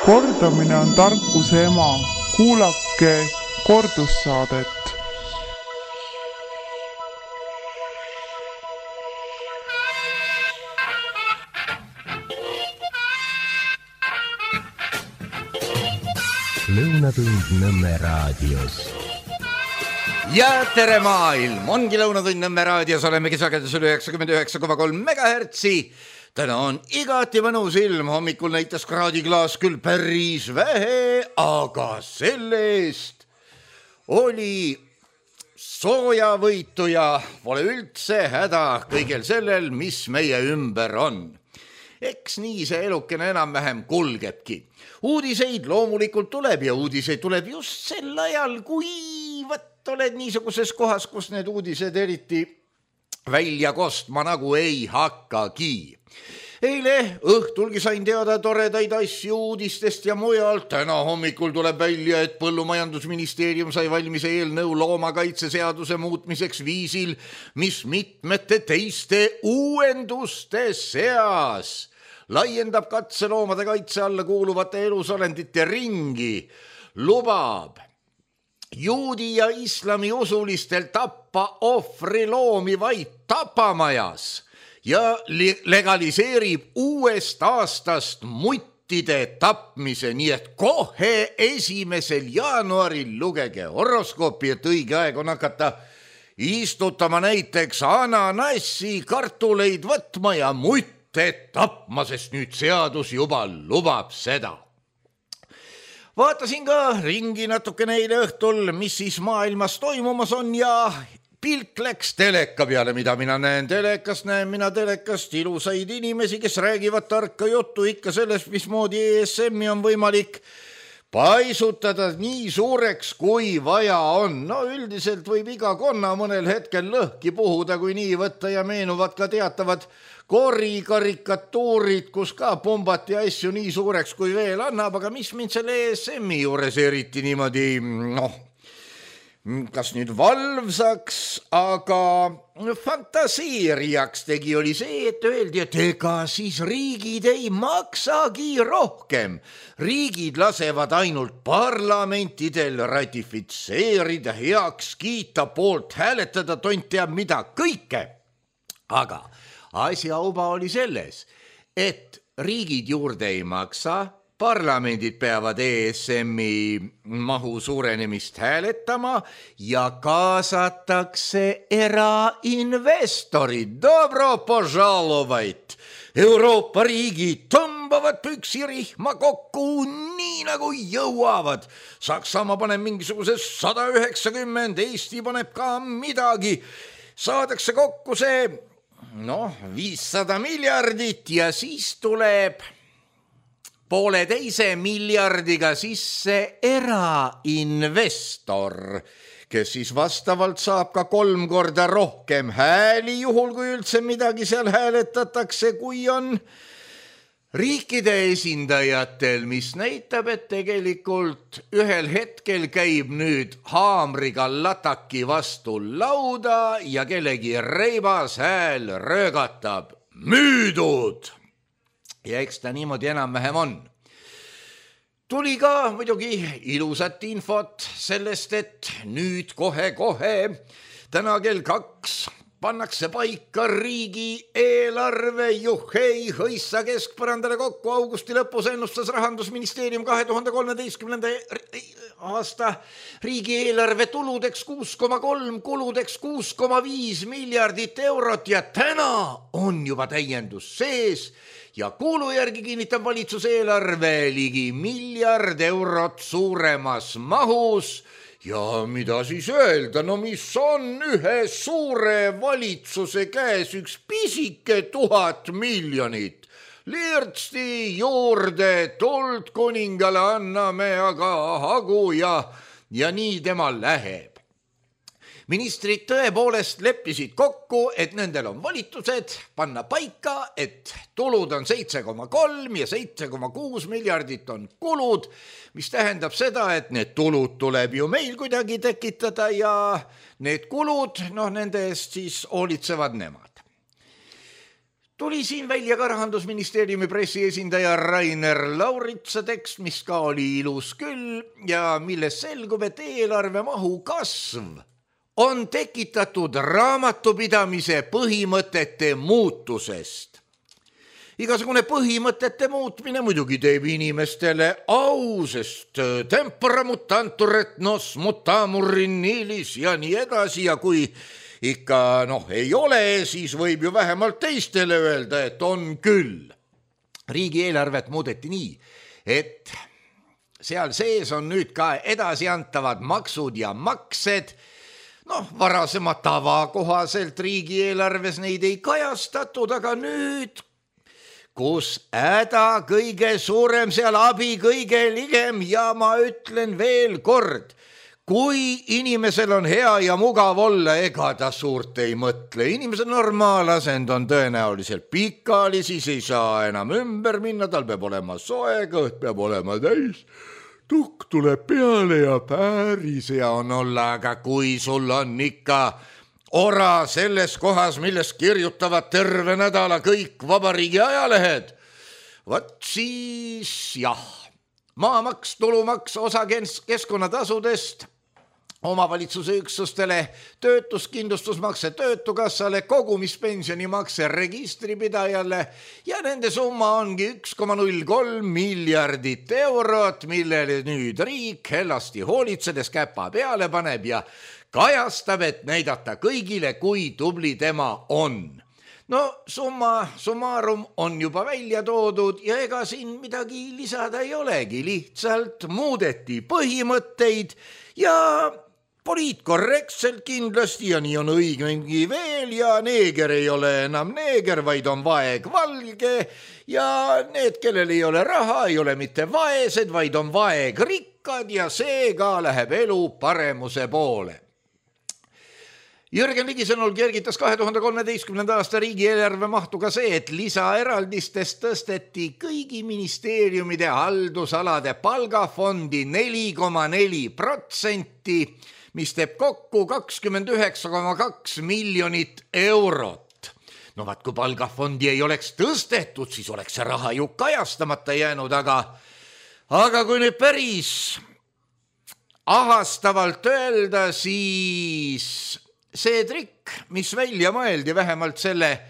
Kordamine on tarkuse ema. Kuulake kordussaadet. Lõunatund Nõmme raadios. Ja tere maailm! Ongi Lõunatund Nõmme raadios, olemegi sagedusel 99,3 megahertsi. Täna on igati mõnus ilm, hommikul näitas kraadiklaas küll päris vähe, aga selle-eest oli soojavõitu ja pole üldse häda kõigel sellel, mis meie ümber on. Eks nii see elukene enam-vähem kulgebki. Uudiseid loomulikult tuleb ja uudiseid tuleb just sel ajal, kui oled niisuguses kohas, kus need uudised eriti välja kostma nagu ei hakkagi. Eile õhtulgi sain teada toredaid asju uudistest ja mujalt. Täna hommikul tuleb välja, et Põllumajandusministeerium sai valmis eelnõu loomakaitseseaduse muutmiseks viisil, mis mitmete teiste uuenduste seas laiendab katseloomade kaitse alla kuuluvate elusolendite ringi, lubab juudi ja islami usulistel tappa ohvriloomi vaid tapamajas ja legaliseerib uuest aastast muttide tapmise, nii et kohe 1. jaanuaril lugege horoskoopi, et õige aeg on hakata istutama näiteks ananassi, kartuleid võtma ja mutte tapma, sest nüüd seadus juba lubab seda. Vaatasin ka ringi natukene eile õhtul, mis siis maailmas toimumas on ja pilk läks teleka peale, mida mina näen telekast. Näen mina telekast ilusaid inimesi, kes räägivad tarka juttu ikka sellest, mismoodi ESM-i on võimalik paisutada nii suureks, kui vaja on. No üldiselt võib iga konna mõnel hetkel lõhki puhuda, kui nii võtta ja meenuvad ka teatavad korikarikatuurid, kus ka pumbati asju nii suureks, kui veel annab, aga mis mind selle ESM-i juures eriti niimoodi, kas nüüd valvsaks, aga fantaseerijaks tegi, oli see, et öeldi, et ega siis riigid ei maksagi rohkem. Riigid lasevad ainult parlamentidel ratifitseerida, heaks kiita, poolt hääletada, tont teab mida kõike. Aga asjauba oli selles, et riigid juurde ei maksa, parlamendid peavad ESM-i mahu suurenemist hääletama ja kaasatakse erainvestorid. Dobro požalovait! Euroopa riigid tõmbavad püksirihma kokku nii nagu jõuavad. Saksamaa paneb mingisuguse 190, Eesti paneb ka midagi. Saadakse kokku see 500 miljardit ja siis tuleb 1,5 miljardiga sisse erainvestor, kes siis vastavalt saab ka 3 korda rohkem hääli, juhul kui üldse midagi seal hääletatakse, kui on riikide esindajatel, mis näitab, et tegelikult ühel hetkel käib nüüd haamriga lataki vastu lauda ja kellegi reibas hääl röögatab müüdud. Ja eks ta niimoodi enam-vähem on. Tuli ka muidugi ilusat infot sellest, et nüüd kohe-kohe täna kell 2 pannakse paika riigi eelarve, juhhei, hõissa keskpõrandale kokku. Augusti lõpus ennustas Rahandusministeerium 2013. aasta riigieelarve tuludeks 6,3, kuludeks 6,5 miljardit eurot ja täna on juba täiendus sees ja kuulu järgi kinnitab valitsuse eelarve ligi 1 miljard eurot suuremas mahus. Ja mida siis öelda, mis on ühe suure valitsuse käes üks pisike 1000 miljonit. Lirtsti juurde tuld kuningale anname aga hagu ja nii temal läheb. Ministrid tõepoolest leppisid kokku, et nendel on volitused panna paika, et tulud on 7,3 ja 7,6 miljardit on kulud, mis tähendab seda, et need tulud tuleb ju meil kuidagi tekitada ja need kulud, nende eest siis hoolitsevad nemad. Tuli siin välja ka Rahandusministeeriumi pressiesindaja Rainer Lauritsa tekst, mis ka oli ilus küll ja milles selgub, et eelarve mahu kasv on tekitatud raamatupidamise põhimõtete muutusest. Igasugune põhimõtete muutmine muidugi teeb inimestele au, sest tempora mutantur et nos mutamur in nilis ja nii edasi ja kui ikka ei ole, siis võib ju vähemalt teistele öelda, et on küll. Riigieelarvet muudeti nii, et seal sees on nüüd ka edasiantavad maksud ja maksed. Varasema tava kohaselt riigieelarves neid ei kajastatud, aga nüüd, kus häda kõige suurem, seal abi kõige ligem ja ma ütlen veel kord, kui inimesel on hea ja mugav olla, ega ta suurt ei mõtle. Inimese normaalasend on tõenäoliselt pikali, siis ei saa enam ümber minna, tal peab olema soe, kõht peab olema täis, tukk tuleb peale ja päris hea on olla, aga kui sul on ikka ora selles kohas, millest kirjutavad terve nädala kõik vabariigi ajalehed, vot siis jah, maamaks, tulumaks, osa keskkonnatasudest, omavalitsuse üksustele, töötuskindlustusmakse töötukassale, kogumispensionimakse registripidajale ja nende summa ongi 1,03 miljardit eurot, millele nüüd riik hellasti hoolitsedes käpa peale paneb ja kajastab, et näidata kõigile, kui tubli tema on. Summa summarum on juba välja toodud ja ega siin midagi lisada ei olegi, lihtsalt muudeti põhimõtteid ja poliitkorrektselt kindlasti ja nii on õigegi veel ja neeger ei ole enam neeger, vaid on vaegvalge ja need, kellel ei ole raha, ei ole mitte vaesed, vaid on vaegrikkad ja seega läheb elu paremuse poole. Jürgen Ligi sõnul kergitas 2013. aasta riigieelarve mahtu ka see, et lisaeraldistest tõsteti kõigi ministeeriumide haldusalade palgafondi 4,4%, mis teeb kokku 29,2 miljonit eurot. Vaat kui palgafondi ei oleks tõstetud, siis oleks see raha ju kajastamata jäänud, aga kui nüüd päris ahastavalt öelda, siis see trikk, mis välja mõeldi vähemalt selle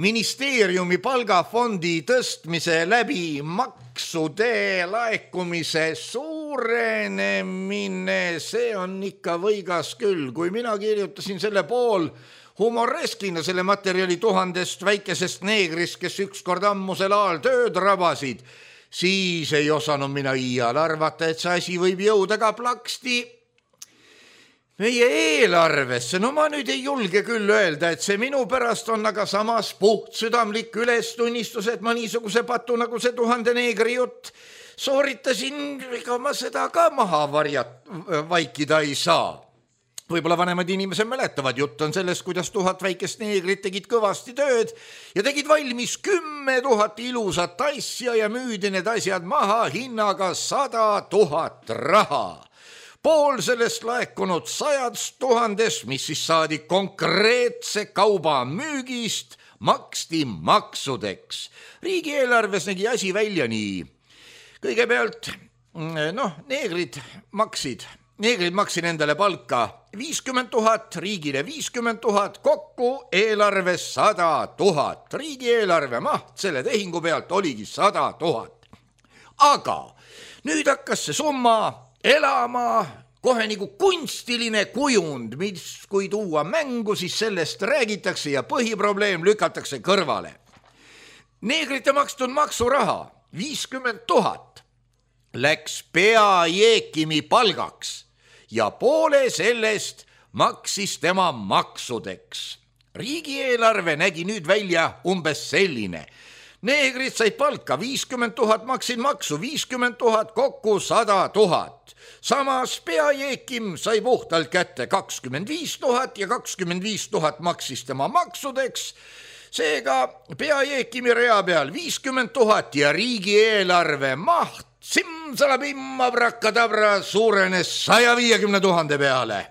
ministeeriumi palgafondi tõstmise läbi maksude laekumise suurenemine, see on ikka võigas küll. Kui mina kirjutasin selle pool humoreskina selle materjali 1000 väikesest neegrist, kes ükskord ammusel ajal tööd rabasid, siis ei osanud mina iial arvata, et see asi võib jõuda ka plaksti meie eelarvesse. Ma nüüd ei julge küll öelda, et see minu pärast on, aga samas puhtsüdamlik ülestunnistus, et ma niisuguse patu nagu see 1000 neegri jutt sooritasin, ega ma seda ka maha vaikida ei saa. Võib-olla vanemad inimesed mäletavad, jutt on sellest, kuidas 1000 väikest neegrit tegid kõvasti tööd ja tegid valmis 10 000 ilusat asja ja müüdi need asjad maha hinnaga 100 000 raha. Pool sellest laekunud 100 000, mis siis saadi konkreetse kauba müügist, maksti maksudeks. Riigieelarves nägi asi välja nii. Kõigepealt, neegrid maksid endale palka 50 000, riigile 50 000, kokku eelarves 100 000. Riigieelarve maht selle tehingu pealt oligi 100 000. Aga nüüd hakkas see summa elama kohe nagu kunstiline kujund, mis kui tuua mängu, siis sellest räägitakse ja põhiprobleem lükatakse kõrvale. Neegrite makstud maksuraha 50 000 läks peajeekimi palgaks ja poole sellest maksis tema maksudeks. Riigieelarve nägi nüüd välja umbes selline. Neegrid said palka 50 000, maksid maksu 50 000, kokku 100 000. Samas peajeekim sai puhtalt kätte 25 000 ja 25 000 maksis tema maksudeks. Seega peajeekimi rea peal 50 000 ja riigieelarve maht simsalabimma brakadabra suurenes 150 000 peale.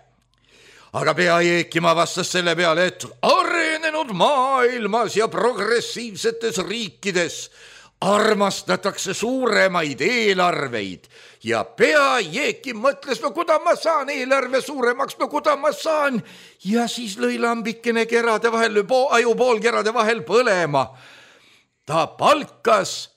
Aga peajeekima vastas selle peale, et arenenud arenenud maailmas ja progressiivsetes riikides armastatakse suuremaid eelarveid ja Peajeekim mõtles, no kuda ma saan eelarve suuremaks, no kuda ma saan, ja siis lõi lambikene kerade vahel, ajupool kerade vahel põlema. Ta palkas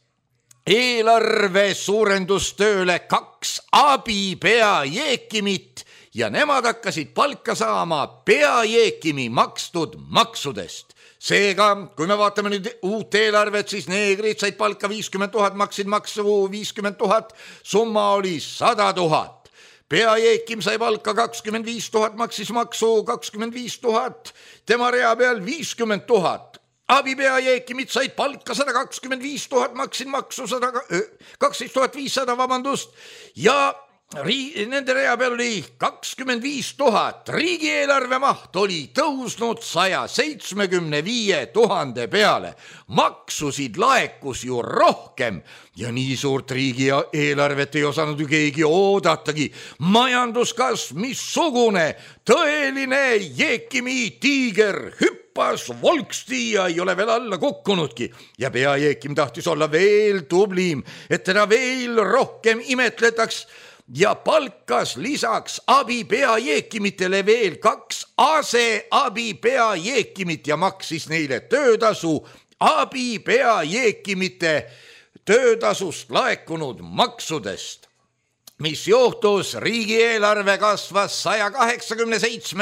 eelarve suurendustööle 2 abipeajeekimit ja nemad hakkasid palka saama Peajeekimi makstud maksudest. Seega, kui me vaatame nüüd uut eelarvet, siis neegrid said palka 50 000, maksid maksu 50 000, summa oli 100 000. Peajeekim sai palka 25 000, maksis maksu 25 000, tema rea peal 50 000. Abipeajeekimid said palka 125 000, maksid maksu 12 500, ja nende rea peal oli 25 000. Riigieelarve maht oli tõusnud 175 000 peale. Maksusid laekus ju rohkem ja nii suurt riigieelarvet ei osanud ju keegi oodatagi. Majanduskasv missugune, tõeline Jeekimi tiiger hüppas volksti ja ei ole veel alla kukkunudki. Ja Peajeekim tahtis olla veel tublim, et teda veel rohkem imetletaks, ja palkas lisaks abipeajeekimitele veel 2 aseabipeajeekimit ja maksis neile töötasu abipeajeekimite töötasust laekunud maksudest. Mis juhtus? Riigieelarve kasvas 187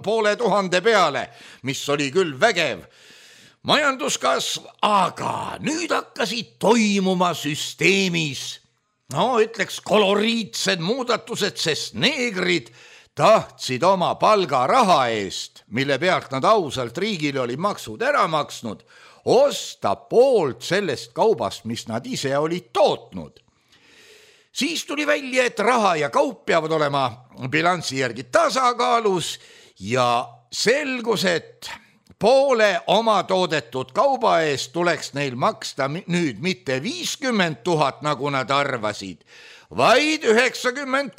500 peale, mis oli küll vägev majanduskasv, aga nüüd hakkasid toimuma süsteemis ütleks koloriitsed muudatused, sest neegrid tahtsid oma palgaraha eest, mille pealt nad ausalt riigile oli maksud ära maksnud, osta poolt sellest kaubast, mis nad ise olid tootnud. Siis tuli välja, et raha ja kaup peavad olema bilansi järgi tasakaalus ja selgus, et poole oma toodetud kauba eest tuleks neil maksta nüüd mitte 50 000, nagu nad arvasid, vaid 93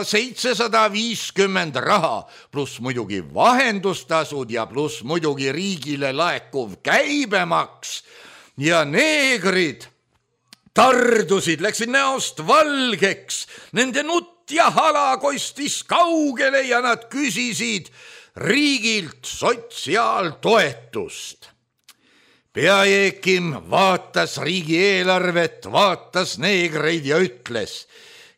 750 raha, pluss muidugi vahendustasud ja pluss muidugi riigile laekuv käibemaks. Ja neegrid tardusid, läksid näost valgeks, nende nutt ja hala kostis kaugele ja nad küsisid riigilt sotsiaaltoetust. Peajeekim vaatas riigieelarvet, vaatas neegreid ja ütles,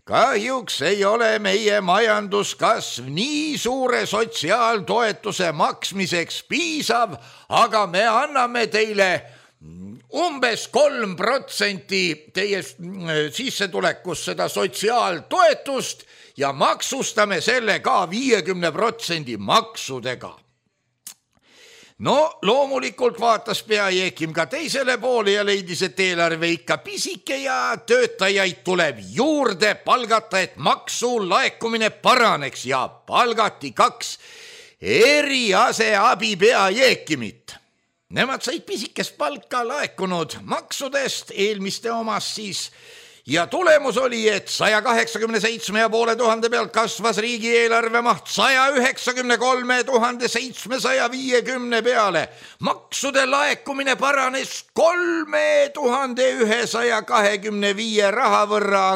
kahjuks ei ole meie majanduskasv nii suure sotsiaaltoetuse maksmiseks piisav, aga me anname teile umbes 3% teie sissetulekust seda sotsiaaltoetust ja maksustame selle ka 50% maksudega. No loomulikult vaatas Peajeekim ka teisele poole ja leidis, et eelarve ikka pisike ja töötajaid tuleb juurde palgata, et maksu laekumine paraneks, ja palgati 2 eriaseabi Peajeekimit. Nemad said pisikest palka laekunud maksudest, eelmiste omast siis, ja tulemus oli, et 187 500 pealt kasvas riigieelarve maht 193 750 peale. Maksude laekumine paranes 3125 raha võrra,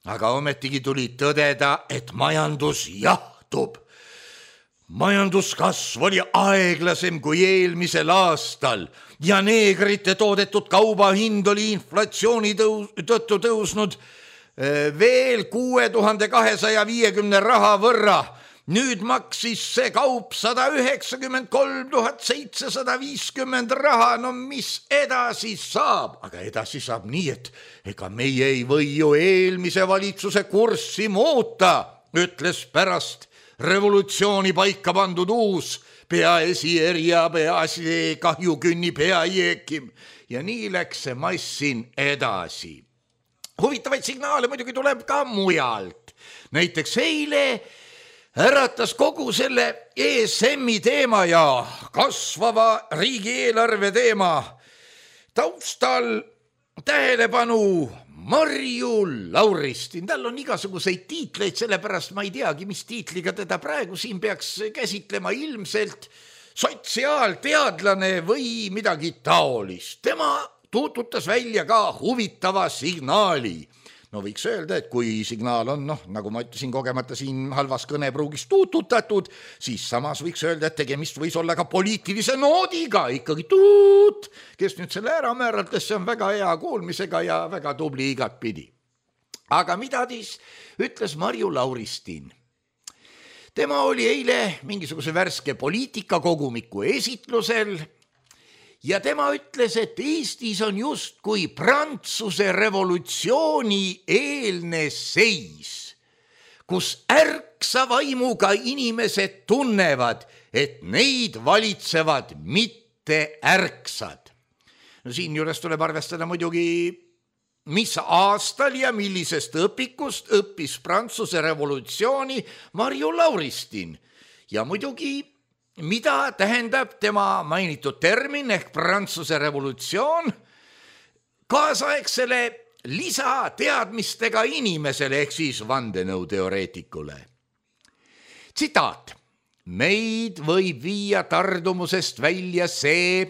aga ometigi tuli tõdeda, et majandus jahtub. Majanduskasv oli aeglasem kui eelmisel aastal ja neegrite toodetud kauba hind oli inflatsiooni tõttu tõusnud veel 6250 raha võrra. Nüüd maksis see kaup 193 750 raha. No mis edasi saab? Aga edasi saab nii, et ega meie ei või ju eelmise valitsuse kurssi muuta, ütles pärast revolutsiooni paika pandud uus peaesier ja peaasi kahjukünni Peajeekim. Ja nii läks see massin edasi. Huvitavaid signaale muidugi tuleb ka mujalt. Näiteks eile äratas kogu selle ESM-i teema ja kasvava riigieelarve teema taustal tähelepanu Marju Lauristin, tal on igasuguseid tiitleid, sellepärast ma ei teagi, mis tiitliga teda praegu siin peaks käsitlema, ilmselt sotsiaalteadlane või midagi taolist. Tema tuututas välja ka huvitava signaali. No võiks öelda, et kui signaal on, nagu ma ütlesin kogemata siin halvas kõnepruugis tuututatud, siis samas võiks öelda, et tegemist võis olla ka poliitilise noodiga, ikkagi tuut, kes nüüd selle ära määratles, see on väga hea kuulmisega ja väga tubli igatpidi. Aga mida siis ütles Marju Lauristin? Tema oli eile mingisuguse värske poliitikakogumiku esitlusel ja tema ütles, et Eestis on justkui Prantsuse revolutsiooni eelne seis, kus ärksa vaimuga inimesed tunnevad, et neid valitsevad mitte ärksad. No siin juures tuleb arvestada muidugi, mis aastal ja millisest õpikust õppis Prantsuse revolutsiooni Marju Lauristin ja muidugi mida tähendab tema mainitud termin ehk Prantsuse revolutsioon kaasaegsele lisateadmistega inimesele ehk siis vandenõuteoreetikule. Tsitaat. Meid võib viia tardumusest välja see,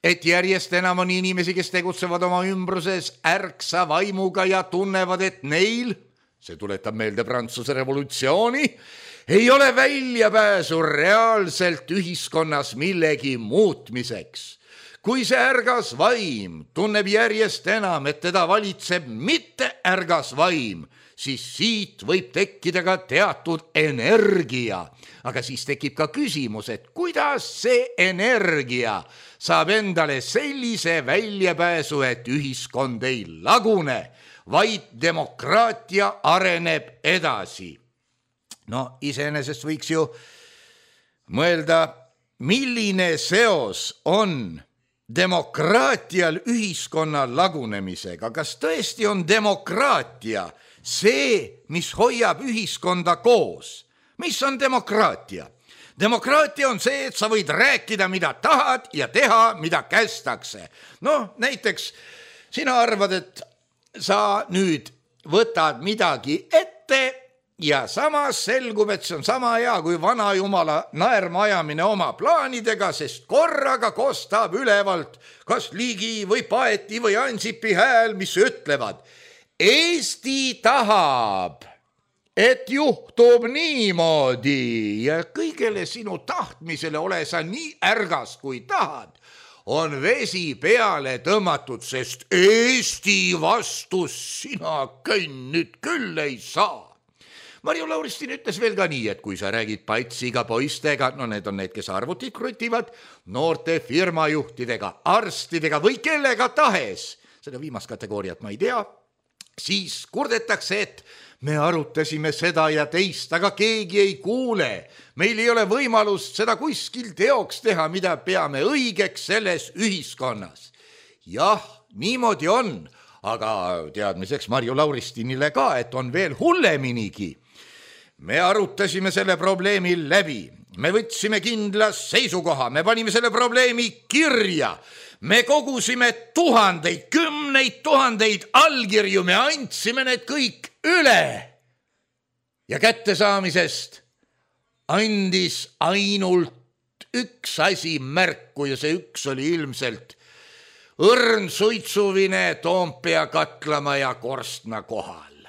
et järjest enam on inimesi, kes tegutsevad oma ümbruses ärksa vaimuga ja tunnevad, et neil, see tuletab meelde Prantsuse revolutsiooni, ei ole väljapääsu reaalselt ühiskonnas millegi muutmiseks. Kui see ärgas vaim tunneb järjest enam, et teda valitseb mitte ärgas vaim, siis siit võib tekkida ka teatud energia. Aga siis tekib ka küsimus, et kuidas see energia saab endale sellise väljapääsu, et ühiskond ei lagune, vaid demokraatia areneb edasi. No iseenesest võiks ju mõelda, milline seos on demokraatial ühiskonna lagunemisega. Kas tõesti on demokraatia see, mis hoiab ühiskonda koos? Mis on demokraatia? Demokraatia on see, et sa võid rääkida, mida tahad ja teha, mida kästakse. No näiteks sina arvad, et sa nüüd võtad midagi ette ja samas selgub, et see on sama hea kui vana jumala naerma ajamine oma plaanidega, sest korraga kostab ülevalt kas Ligi või Paeti või Ansipi hääl, mis ütlevad, Eesti tahab, et juhtub niimoodi ja kõigele sinu tahtmisele ole sa nii ärgas kui tahad, on vesi peale tõmmatud, sest Eesti vastu sina nüüd küll ei saa. Marju Lauristin ütles veel ka nii, et kui sa räägid patsiga poistega, no need on need, kes arvutit krutivad, noorte firmajuhtidega, arstidega või kellega tahes, seda viimast kategooriat ma ei tea, siis kurdetakse, et me arutasime seda ja teist, aga keegi ei kuule. Meil ei ole võimalust seda kuskil teoks teha, mida peame õigeks selles ühiskonnas. Jah, niimoodi on, aga teadmiseks Marju Lauristinile ka, et on veel hulleminigi. Me arutasime selle probleemi läbi, me võtsime kindla seisukoha, me panime selle probleemi kirja, me kogusime tuhandeid, kümneid tuhandeid allkirju, me andsime need kõik üle. Ja kättesaamisest andis ainult üks asi märku ja see üks oli ilmselt õrn suitsuvine Toompea Katlamaja korstna kohal.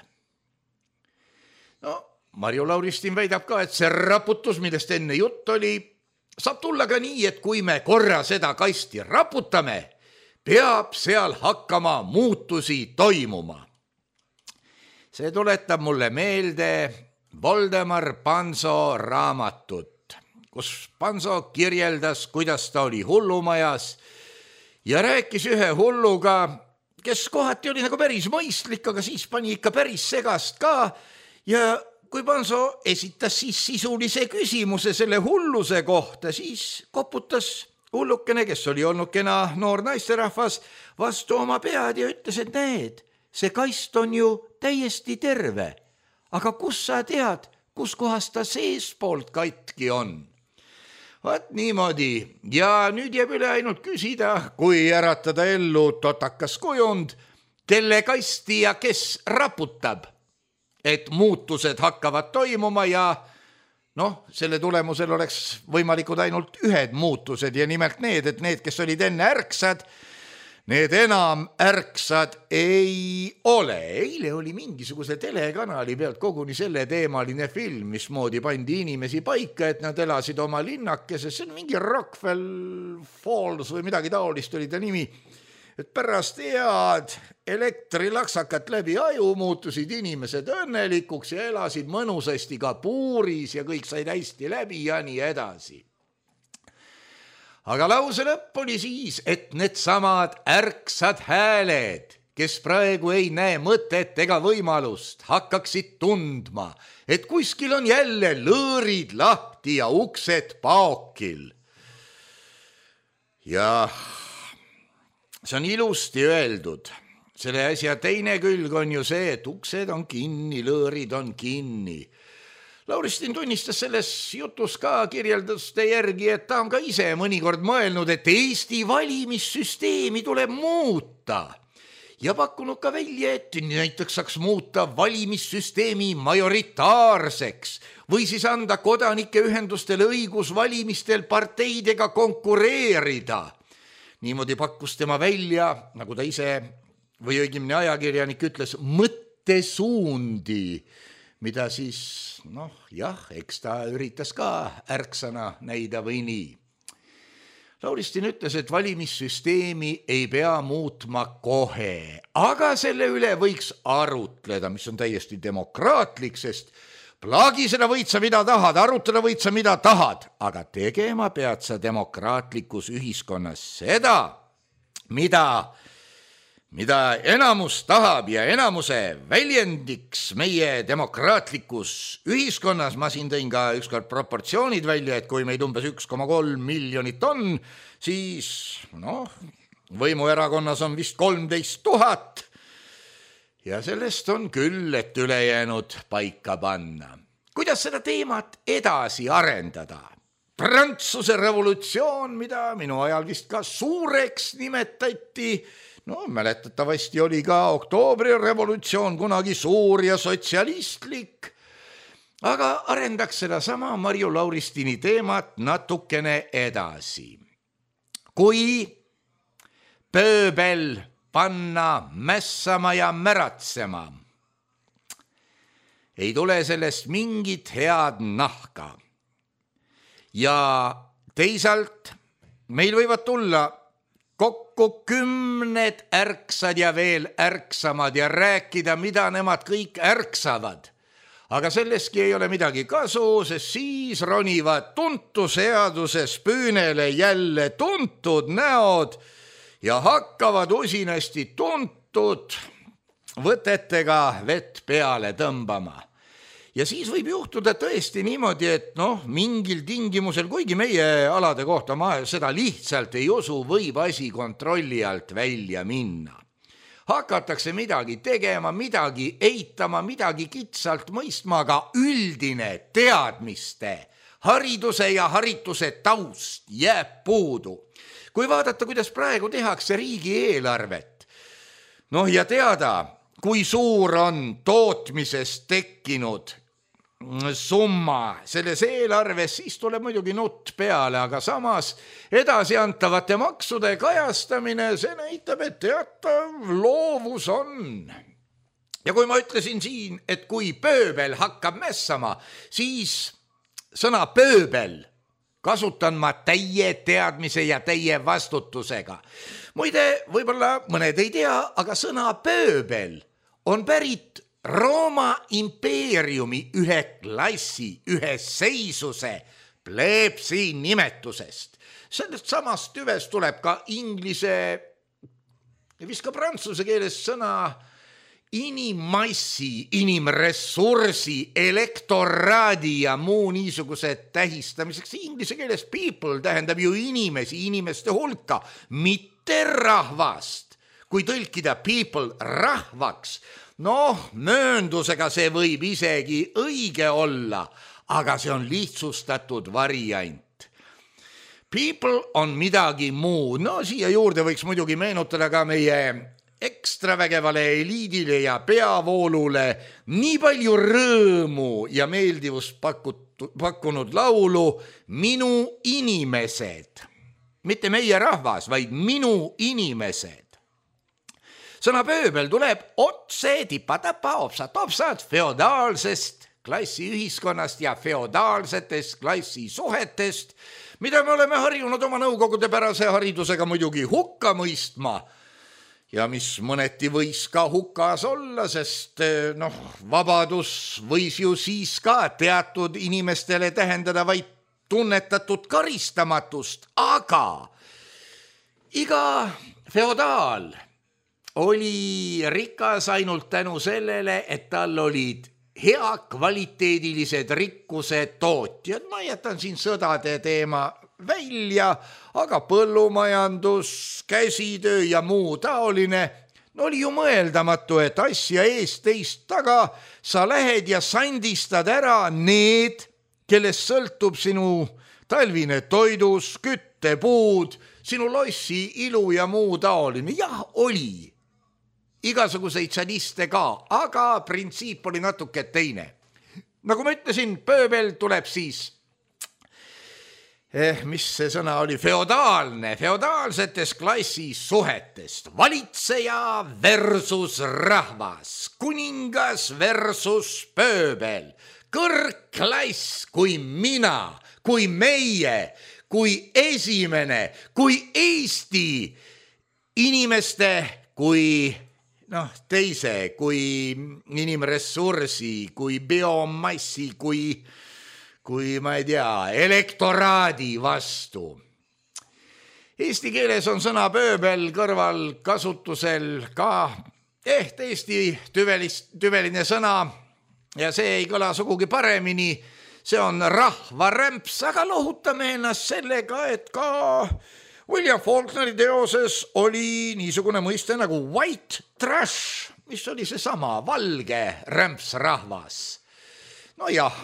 No, Marju Lauristin väidab ka, et see raputus, millest enne jutt oli, saab tulla ka nii, et kui me korra seda kasti raputame, peab seal hakkama muutusi toimuma. See tuletab mulle meelde Voldemar Panso raamatut, kus Panso kirjeldas, kuidas ta oli hullumajas ja rääkis ühe hulluga, kes kohati oli nagu päris mõistlik, aga siis pani ikka päris segast ka ja kui Panso esitas siis sisulise küsimuse selle hulluse kohta, siis koputas hullukene, kes oli olnud kena noor naisterahvas, vastu oma pead ja ütles, et näed, see kast on ju täiesti terve, aga kus sa tead, kus kohas ta seespoolt katki on? Vaat niimoodi ja nüüd jääb üle ainult küsida, kui äratada ellu totakas kujund, kelle kasti ja kes raputab, et muutused hakkavad toimuma ja selle tulemusel oleks võimalikud ainult ühed muutused ja nimelt need, et need, kes olid enne ärksad, need enam ärksad ei ole. Eile oli mingisuguse telekanali pealt koguni selle teemaline film, mismoodi pandi inimesi paika, et nad elasid oma linnakeses. See on mingi Rockefeller Falls või midagi taolist oli ta nimi. Et pärast head elektrilaksakat läbi aju muutusid inimesed õnnelikuks ja elasid mõnusasti ka puuris ja kõik said hästi läbi ja nii edasi. Aga lause lõpp oli siis, et need samad ärksad hääled, kes praegu ei näe mõtet ega võimalust, hakkaksid tundma, et kuskil on jälle lõõrid lahti ja uksed paokil. Ja see on ilusti öeldud. Selle asja teine külg on ju see, et uksed on kinni, lõõrid on kinni. Lauristin tunnistas selles jutus ka kirjelduste järgi, et ta on ka ise mõnikord mõelnud, et Eesti valimissüsteemi tuleb muuta ja pakkunud ka välja, et näiteks saaks muuta valimissüsteemi majoritaarseks või siis anda kodanike ühendustele õigus valimistel parteidega konkureerida. Niimoodi pakkus tema välja, nagu ta ise või õigemini ajakirjanik ütles, mõttesuundi, mida siis, eks ta üritas ka ärksana näida või nii. Lauristin ütles, et valimissüsteemi ei pea muutma kohe, aga selle üle võiks arutleda, mis on täiesti demokraatlik, sest plaagisena võid sa mida tahad, arutleda võid sa mida tahad, aga tegema pead sa demokraatlikus ühiskonnas seda, mida enamus tahab ja enamuse väljendiks meie demokraatlikus ühiskonnas. Ma siin tõin ka ükskord proportsioonid välja, et kui meid umbes 1,3 miljonit on, siis võimuerakonnas on vist 13 000 ja sellest on küll, et ülejäänud paika panna. Kuidas seda teemat edasi arendada? Prantsuse revolutsioon, mida minu ajal vist ka suureks nimetati, mäletatavasti oli ka oktoobri revolutsioon kunagi suur ja sotsialistlik, aga arendaks seda sama Marju Lauristini teemat natukene edasi. Kui pööbel panna mässama ja märatsema, ei tule sellest mingit head nahka. Ja teisalt meil võivad tulla kokku 10 ärksad ja veel ärksamad ja rääkida, mida nemad kõik ärksavad. Aga selleski ei ole midagi kasu, sest siis ronivad tuntud seaduses püünele jälle tuntud näod ja hakkavad usinasti tuntud võtetega vett peale tõmbama. Ja siis võib juhtuda tõesti niimoodi, et mingil tingimusel, kuigi meie alade kohta ma seda lihtsalt ei usu, võib asi kontrolli alt välja minna. Hakatakse midagi tegema, midagi eitama, midagi kitsalt mõistma, aga üldine teadmiste, hariduse ja harituse taust jääb puudu. Kui vaadata, kuidas praegu tehakse riigieelarvet, ja teada, kui suur on tootmisest tekkinud summa selles eelarves, siis tuleb muidugi nutt peale, aga samas edasiantavate maksude kajastamine, see näitab, et teatav loovus on. Ja kui ma ütlesin siin, et kui pööbel hakkab mässama, siis sõna pööbel kasutan ma täie teadmise ja täie vastutusega. Muide, võib-olla mõned ei tea, aga sõna pööbel on pärit Rooma impeeriumi ühe klassi, ühe seisuse, plebsi nimetusest. Sellest samast tüvest tuleb ka inglise ja vist ka prantsuse keeles sõna inimmassi, inimressursi, elektoraadi ja muu niisugused tähistamiseks. Inglise keeles people tähendab ju inimesi, inimeste hulka, mitte rahvast. Kui tõlkida people rahvaks, mööndusega see võib isegi õige olla, aga see on lihtsustatud variant. People on midagi muu. Siia juurde võiks muidugi meenutada ka meie ekstravägevale eliidile ja peavoolule nii palju rõõmu ja meeldivust pakkunud laulu Minu inimesed. Mitte meie rahvas, vaid minu inimesed. Sõna pööbel tuleb otse tipa-tapa opsad feodaalsest klassiühiskonnast ja feodaalsetest klassisuhetest, mida me oleme harjunud oma nõukogudepärase haridusega muidugi hukka mõistma ja mis mõneti võis ka hukas olla, sest vabadus võis ju siis ka teatud inimestele tähendada vaid tunnetatud karistamatust, aga iga feodaal oli rikas ainult tänu sellele, et tal olid hea kvaliteedilised rikkuse tootjad. Ma jätan siin sõdade teema välja, aga põllumajandus, käsitöö ja muu taoline oli ju mõeldamatu, et asja eest teist taga sa lähed ja sandistad ära need, kellest sõltub sinu talvine toidus, küttepuud, sinu lossi ilu ja muu taoline. Jah, oli igasuguseid sadiste ka, aga printsiip oli natuke teine. Nagu ma ütlesin, pööbel tuleb siis, mis see sõna oli, feodaalsetest klassisuhetest. Valitseja versus rahvas, kuningas versus pööbel, kõrgklass kui mina, kui meie, kui esimene, kui Eesti inimeste, kui teise, kui inimressursi, kui biomassi, kui ma ei tea, elektoraadi vastu. Eesti keeles on sõna pööbel kõrval kasutusel ka Eesti tüveline sõna ja see ei kõla sugugi paremini. See on rahvarämps, aga lohutame ennast sellega, et ka William Faulkneri teoses oli niisugune mõiste nagu white trash, mis oli seesama valge rämpsrahvas. Nojah,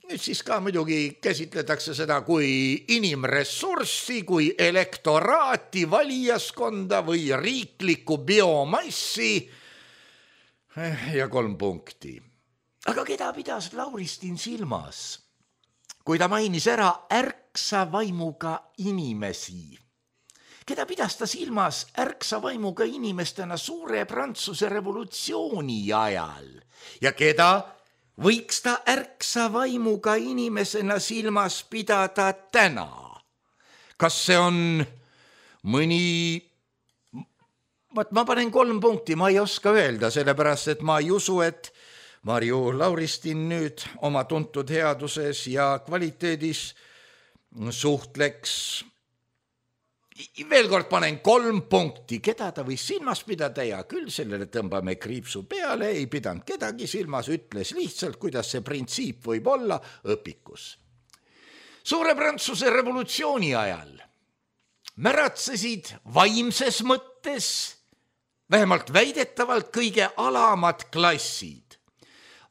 nüüd siis ka muidugi käsitletakse seda kui inimressurssi, kui elektoraati, valijaskonda või riiklikku biomassi ja 3 punkti. Aga keda pidas Lauristin silmas, kui ta mainis ära ärksa vaimuga inimesi? Keda pidas ta silmas ärksa vaimuga inimestena suure Prantsuse revolutsiooni ajal? Ja keda võiks ta ärksa vaimuga inimesena silmas pidada täna? Kas see on mõni... Ma panen 3 punkti, ma ei oska öelda, sellepärast, et ma ei usu, et Marju Lauristin nüüd oma tuntud headuses ja kvaliteedis suhtleks. Veel kord panen 3 punkti, keda ta võis silmas pidada ja küll sellele tõmbame kriipsu peale, ei pidanud kedagi silmas, ütles lihtsalt, kuidas see printsiip võib olla õpikus. Suure Prantsuse revolutsiooni ajal märatsesid vaimses mõttes, vähemalt väidetavalt kõige alamad klassid.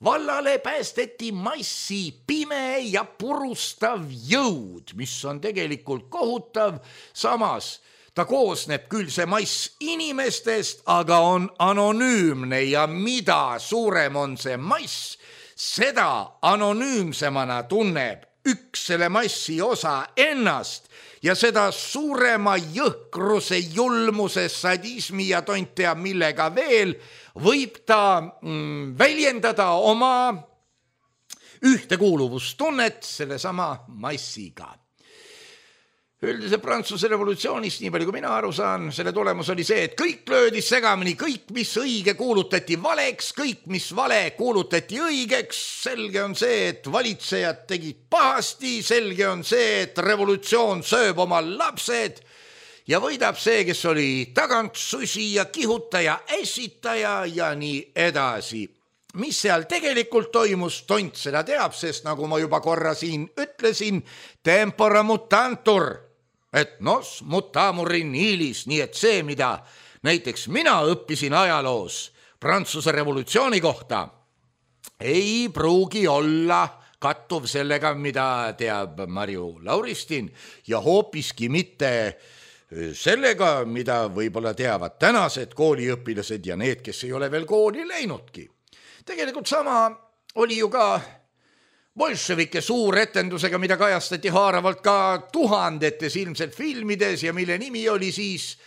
Vallale päästeti massi pime ja purustav jõud, mis on tegelikult kohutav, samas ta koosneb küll see mass inimestest, aga on anonüümne ja mida suurem on see mass, seda anonüümsemana tunneb üks selle massi osa ennast ja seda suurema jõhkruse, julmuse, sadismi ja tont teab millega veel võib ta väljendada oma ühtekuuluvustunnet sellesama massiga. Üldise Prantsuse revolutsioonist, nii palju kui mina aru saan, selle tulemus oli see, et kõik löödi segamini, kõik, mis õige kuulutati valeks, kõik, mis vale kuulutati õigeks. Selge on see, et valitsejad tegid pahasti, selge on see, et revolutsioon sööb oma lapsed ja võidab see, kes oli tagantsusi ja kihutaja, ässitaja ja nii edasi. Mis seal tegelikult toimus, tont seda teab, sest nagu ma juba korra siin ütlesin, tempora mutantur, et nos mutamurin ilis, nii et see, mida näiteks mina õppisin ajaloos Prantsuse revolutsiooni kohta, ei pruugi olla kattuv sellega, mida teab Marju Lauristin ja hoopiski mitte sellega, mida võib-olla teavad tänased kooliõpilased ja need, kes ei ole veel kooli läinudki. Tegelikult sama oli ju ka bolševike suuretendusega, mida kajastati haaravalt ka tuhandetes ilmselt filmides ja mille nimi oli siis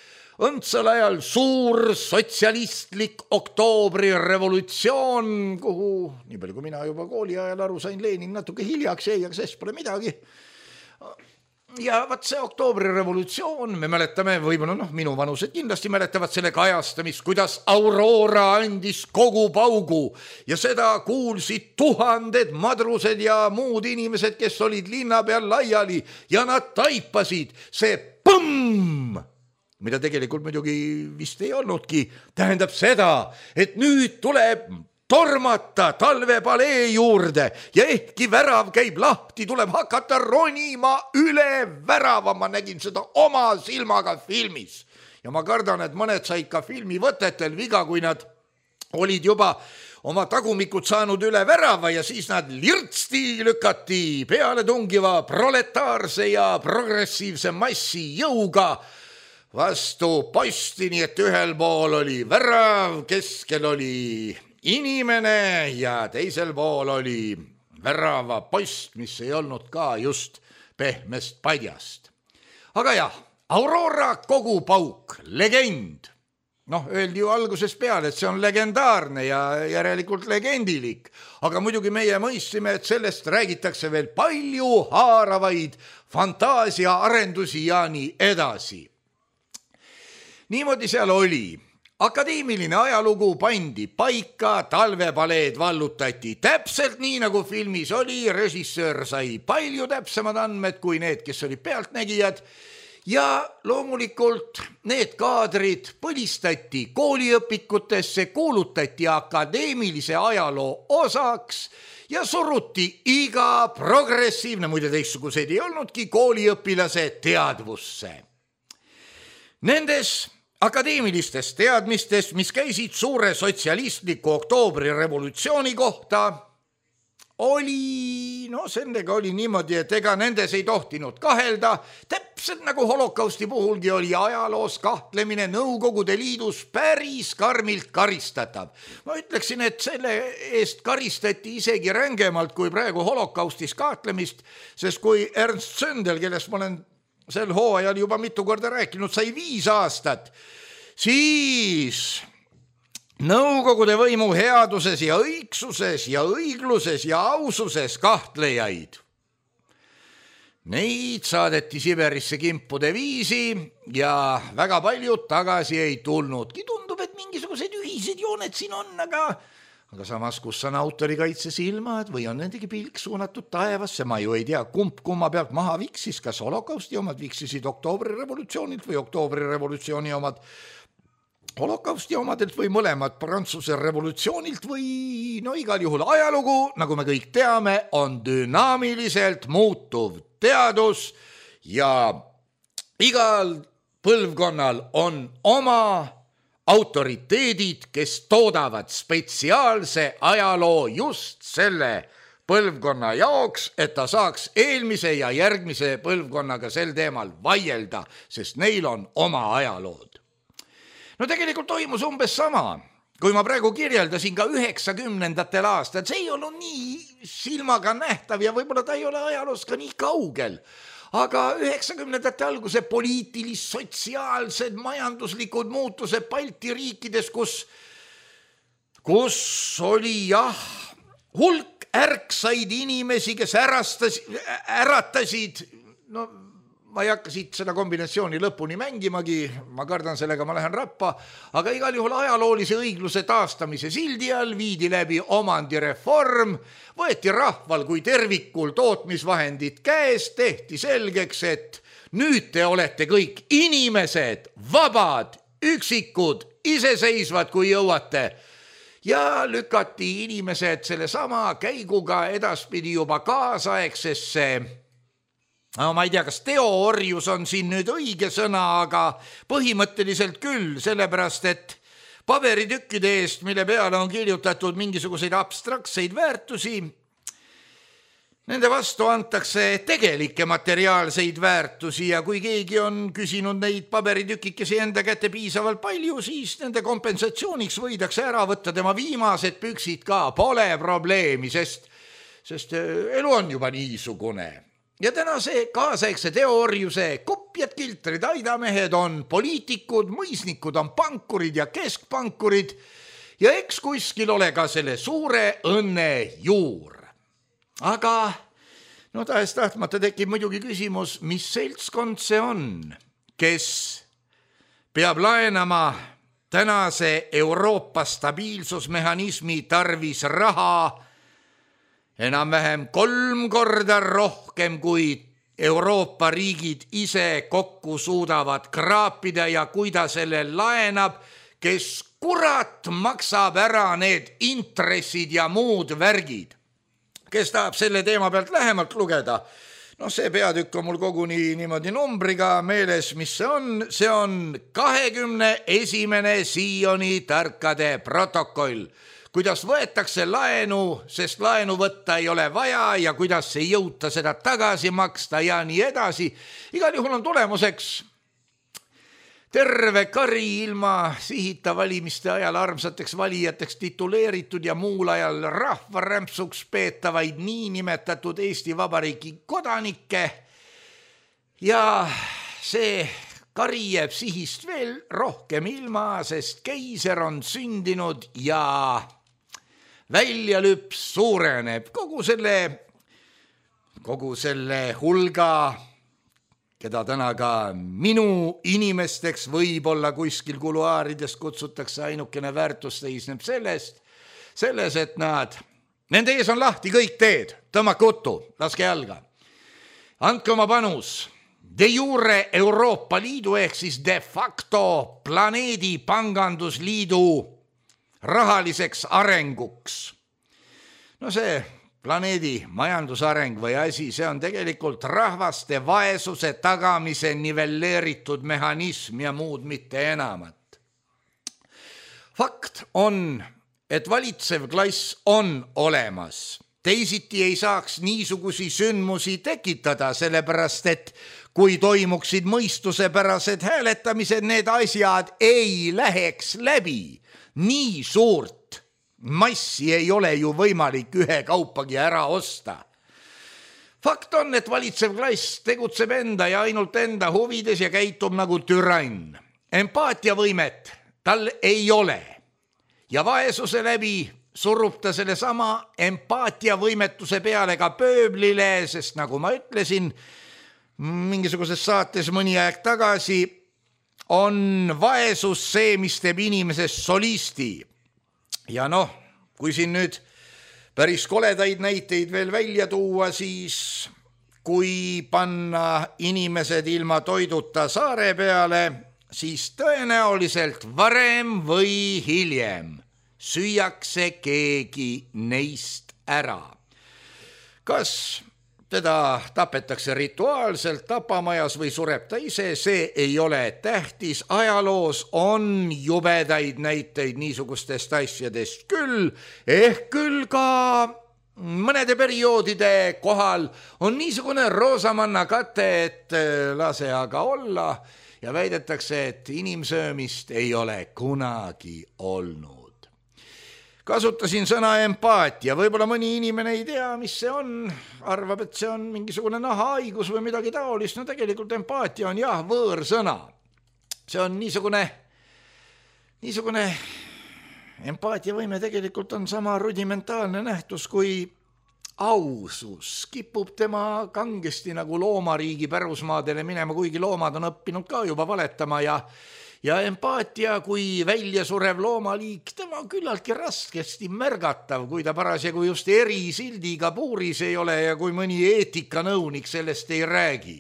õndsal ajal suur sotsialistlik oktoobrirevolutsioon, kuhu, nii palju kui mina juba kooli ajal aru sain, Lenin natuke hiljaks jäi, aga sest pole midagi. Ja vaat see oktoobrirevolutsioon, me mäletame, võib-olla minu vanused kindlasti mäletavad selle kajastamist, kuidas Aurora andis kogu paugu ja seda kuulsid tuhanded madrused ja muud inimesed, kes olid linna peal laiali ja nad taipasid see põmm, mida tegelikult muidugi vist ei olnudki, tähendab seda, et nüüd tuleb tormata talvepalee juurde ja ehkki värav käib lahti, tuleb hakata ronima üle värava. Ma nägin seda oma silmaga filmis ja ma kardan, et mõned said ka filmi võtetel viga, kui nad olid juba oma tagumikud saanud üle värava ja siis nad lirtsti lükati peale tungiva proletaarse ja progressiivse massi jõuga vastu posti, nii et ühel pool oli värav, keskel oli inimene ja teisel pool oli värava post, mis ei olnud ka just pehmest padjast. Aga jah, Aurora kogupauk, legend. Öeldi ju algusest peale, et see on legendaarne ja järelikult legendilik. Aga muidugi meie mõistsime, et sellest räägitakse veel palju haaravaid fantaasia arendusi ja nii edasi. Niimoodi seal oli. Akadeemiline ajalugu pandi paika, talvepaleed vallutati täpselt nii, nagu filmis oli, režissöör sai palju täpsemad andmed kui need, kes olid pealtnägijad ja loomulikult need kaadrid põlistati kooliõpikutesse, kuulutati akadeemilise ajaloo osaks ja suruti iga progressiivne, muide teistsuguseid ei olnudki, kooliõpilase teadvusse. Nendes akadeemilistest teadmistest, mis käisid suure sotsialistliku oktoobrirevolutsiooni kohta, oli, sellega oli niimoodi, et ega nendes ei tohtinud kahelda, täpselt nagu holokausti puhulgi oli ajaloos kahtlemine Nõukogude Liidus päris karmilt karistatav. Ma ütleksin, et selle eest karistati isegi rängemalt kui praegu holokaustis kahtlemist, sest kui Ernst Zündel, kellest ma olen sel hooajal juba mitu korda rääkinud, sai 5 aastat, siis Nõukogude võimu headuses ja õigsuses ja õigluses ja aususes kahtlejaid. Neid saadeti Siberisse kimpude viisi ja väga paljud tagasi ei tulnudki. Tundub, et mingisugused ühised jooned siin on, aga samas, kus on autorikaitse silmad või on nendegi pilk suunatud taevasse, ma ju ei tea, kumma pealt maha viksis, kas holokausti omad viksisid oktoobrirevolutsioonilt või oktoobrirevolutsiooni omad holokausti omadelt või mõlemad Prantsuse revolutsioonilt või igal juhul ajalugu, nagu me kõik teame, on dünaamiliselt muutuv teadus ja igal põlvkonnal on oma autoriteedid, kes toodavad spetsiaalse ajaloo just selle põlvkonna jaoks, et ta saaks eelmise ja järgmise põlvkonnaga sel teemal vaielda, sest neil on oma ajalood. Tegelikult toimus umbes sama, kui ma praegu kirjeldasin ka 90ndatel aastal, see ei olnud nii silmaga nähtav ja võib-olla ta ei ole ajaloos ka nii kaugel. Aga 90ndate alguse poliitilis-sotsiaalsed majanduslikud muutused Balti riikides, kus oli hulk ärksaid inimesi, kes äratasid, ma ei hakka siit seda kombinatsiooni lõpuni mängimagi, ma kardan sellega, ma lähen rappa, aga igal juhul ajaloolise õigluse taastamise sildi all viidi läbi omandireform, võeti rahval kui tervikul tootmisvahendid käest, tehti selgeks, et nüüd te olete kõik inimesed, vabad, üksikud, iseseisvad, kui jõuate. Ja lükati inimesed selle sama käiguga edaspidi juba kaasaegsesse ma ei tea, kas teoorjus on siin nüüd õige sõna, aga põhimõtteliselt küll, sellepärast et paberitükkide eest, mille peale on kirjutatud mingisuguseid abstraktseid väärtusi, Nende vastu antakse tegelikke materiaalseid väärtusi ja kui keegi on küsinud neid paberitükikesi enda kätte piisavalt palju, siis nende kompensatsiooniks võidakse ära võtta tema viimased püksid ka, pole probleemi, sest elu on juba niisugune. Ja tänase kaasaegse teoorjuse kopjad, kiltrid, aidamehed on poliitikud, mõisnikud on pankurid ja keskpankurid ja eks kuskil ole ka selle suure õnne juur. Aga tahes tahtmata tekib muidugi küsimus, mis seltskond see on, kes peab laenama tänase Euroopa stabiilsusmehhanismi tarvis raha enam-vähem 3 korda rohkem, kui Euroopa riigid ise kokku suudavad kraapida ja kui ta selle laenab, kes kurat maksab ära need intressid ja muud värgid. Kes tahab selle teema pealt lähemalt lugeda, see peatükk on mul koguni niimoodi numbriga meeles, mis see on 21. Sioni tarkade protokoll, kuidas võetakse laenu, sest laenu võtta ei ole vaja ja kuidas ei jõuta seda tagasi maksta ja nii edasi. Igal juhul on tulemuseks terve kari ilma sihita valimiste ajal armsateks valijateks tituleeritud ja muul ajal rahvarämpsuks peetavaid niinimetatud Eesti Vabariigi kodanikke. Ja see kari jääb sihist veel rohkem ilma, sest keiser on sündinud ja väljalüps suureneb kogu selle hulga, keda täna ka minu inimesteks võib-olla kuskil kuluaarides kutsutakse, ainukene väärtus seisneb selles, et nende ees on lahti kõik teed, tõmmake uttu, laske jalga. Andke oma panus de jure Euroopa Liidu ehk siis de facto planeedi pangandusliidu rahaliseks arenguks. See planeedi majandusareng või asi, see on tegelikult rahvaste vaesuse tagamise nivelleeritud mehhanism ja muud mitte enamat. Fakt on, et valitsev klass on olemas. Teisiti ei saaks niisugusi sündmusi tekitada, sellepärast et kui toimuksid mõistusepärased hääletamised, need asjad ei läheks läbi. Nii suurt massi ei ole ju võimalik ühe kaupagi ära osta. Fakt on, et valitsev klass tegutseb enda ja ainult enda huvides ja käitub nagu türann. Empaatiavõimet tal ei ole. Ja vaesuse läbi surub ta selle sama empaatiavõimetuse peale ka pööblile, sest nagu ma ütlesin, mingisuguses saates mõni aeg tagasi on vaesus see, mis teeb inimesest solisti. Ja kui siin nüüd päris koledaid näiteid veel välja tuua, siis kui panna inimesed ilma toiduta saare peale, siis tõenäoliselt varem või hiljem süüakse keegi neist ära. Kas teda tapetakse rituaalselt tapamajas või sureb ta ise, see ei ole tähtis. Ajaloos on jubedaid näiteid niisugustest asjadest küll, ehk küll ka mõnede perioodide kohal on niisugune roosamanna kate, et lase aga olla ja väidetakse, et inimsöömist ei ole kunagi olnud. Kasutasin sõna empaatia, võib-olla mõni inimene ei tea, mis see on, arvab, et see on mingisugune nahahaigus või midagi taolist, tegelikult empaatia on jah võõrsõna. See on niisugune empaatiavõime tegelikult on sama rudimentaalne nähtus kui ausus. Kipub tema kangesti nagu loomariigi pärusmaadele minema, kuigi loomad on õppinud ka juba valetama ja empaatia kui väljasurev loomaliik, tema on küllaltki raskesti märgatav, kui ta parasjagu just erisildiga puuris ei ole ja kui mõni eetikanõunik sellest ei räägi.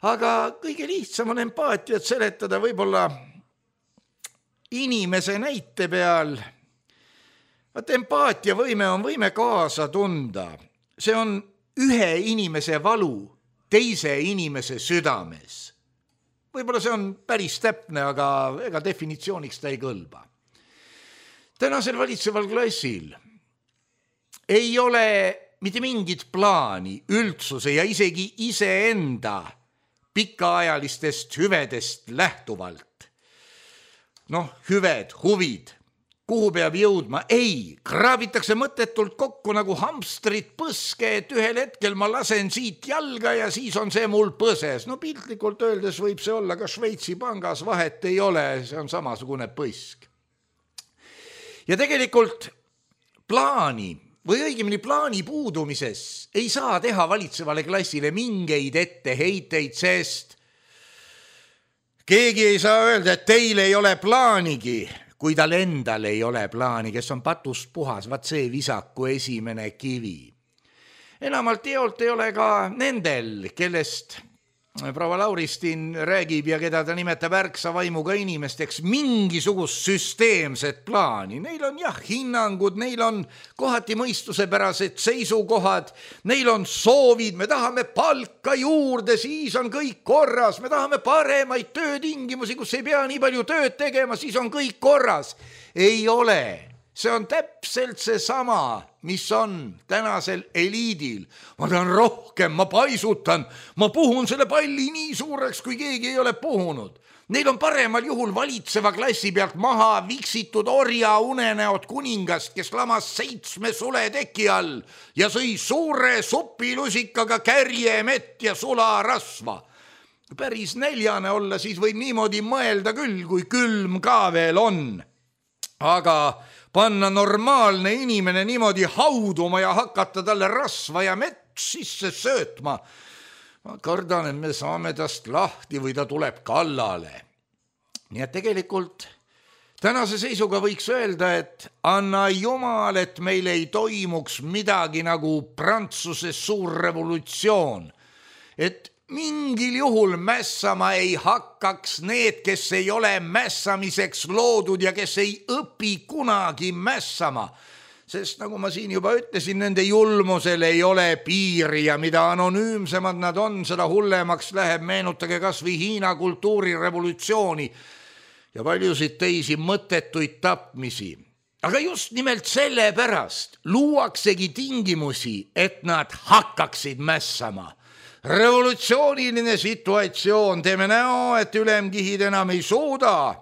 Aga kõige lihtsam on empaatiat seletada võib-olla inimese näite peal. Empaatiavõime on võime kaasa tunda. See on ühe inimese valu teise inimese südames. Võib-olla see on päris täpne, aga ega definitsiooniks ta ei kõlba. Tänasel valitseval klassil ei ole mitte mingit plaani üldsuse ja isegi iseenda pikaajalistest hüvedest lähtuvalt. Hüved, huvid, kuhu peab jõudma? Ei, kraabitakse mõttetult kokku nagu hamstrid põske, et ühel hetkel ma lasen siit jalga ja siis on see mul põses. Piltlikult öeldes võib see olla ka Šveitsi pangas, vahet ei ole, see on samasugune põsk. Ja tegelikult plaani või õigemini plaani puudumises ei saa teha valitsevale klassile mingeid etteheiteid, sest keegi ei saa öelda, et teil ei ole plaanigi, kui tal endal ei ole plaani, kes on patust puhas, vaat see visaku esimene kivi. Enamalt teolt ei ole ka nendel, kellest proua Lauristin räägib ja keda ta nimetab ärksa vaimuga inimesteks, mingisugust süsteemset plaani. Neil on hinnangud, neil on kohati mõistusepärased seisukohad, neil on soovid, me tahame palka juurde, siis on kõik korras, me tahame paremaid töötingimusi, kus ei pea nii palju tööd tegema, siis on kõik korras. Ei ole. See on täpselt see sama, mis on tänasel eliidil. Ma tahan rohkem, ma paisutan, ma puhun selle palli nii suureks, kui keegi ei ole puhunud. Neil on paremal juhul valitseva klassi pealt maha viksitud orja unenäod kuningast, kes lamas 7 suleteki all ja sõi suure supilusikaga kärjemett ja sularasva. Päris näljane olla, siis võib niimoodi mõelda küll, kui külm ka veel on. Aga panna normaalne inimene niimoodi hauduma ja hakata talle rasva ja mett sisse söötma. Ma kardan, et me saame tast lahti või ta tuleb kallale. Nii et tegelikult tänase seisuga võiks öelda, et anna jumal, et meil ei toimuks midagi nagu Prantsuse suur revolutsioon. Et mingil juhul mässama ei hakkaks need, kes ei ole mässamiseks loodud ja kes ei õpi kunagi mässama. Sest nagu ma siin juba ütlesin, nende julmusel ei ole piiri ja mida anonüümsemad nad on, seda hullemaks läheb. Meenutage kas või Hiina kultuurirevolutsiooni ja paljusid teisi mõttetuid tapmisi. Aga just nimelt selle pärast luuaksegi tingimusi, et nad hakkaksid mässama. Revolutsiooniline situatsioon, teeme näo, et ülemkihid enam ei suuda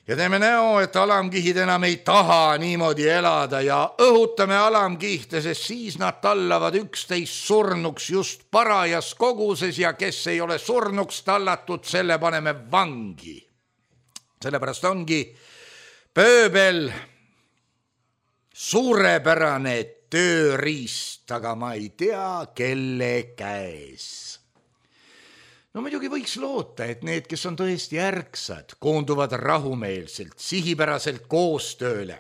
ja teeme näo, et alamkihid enam ei taha niimoodi elada ja õhutame alamkihte, sest siis nad tallavad üksteist surnuks just parajas koguses ja kes ei ole surnuks tallatud, selle paneme vangi. Sellepärast ongi pööbel suurepärane tööriist, aga ma ei tea, kelle käes. Muidugi võiks loota, et need, kes on tõesti ärksad, koonduvad rahumeelselt, sihipäraselt koostööle.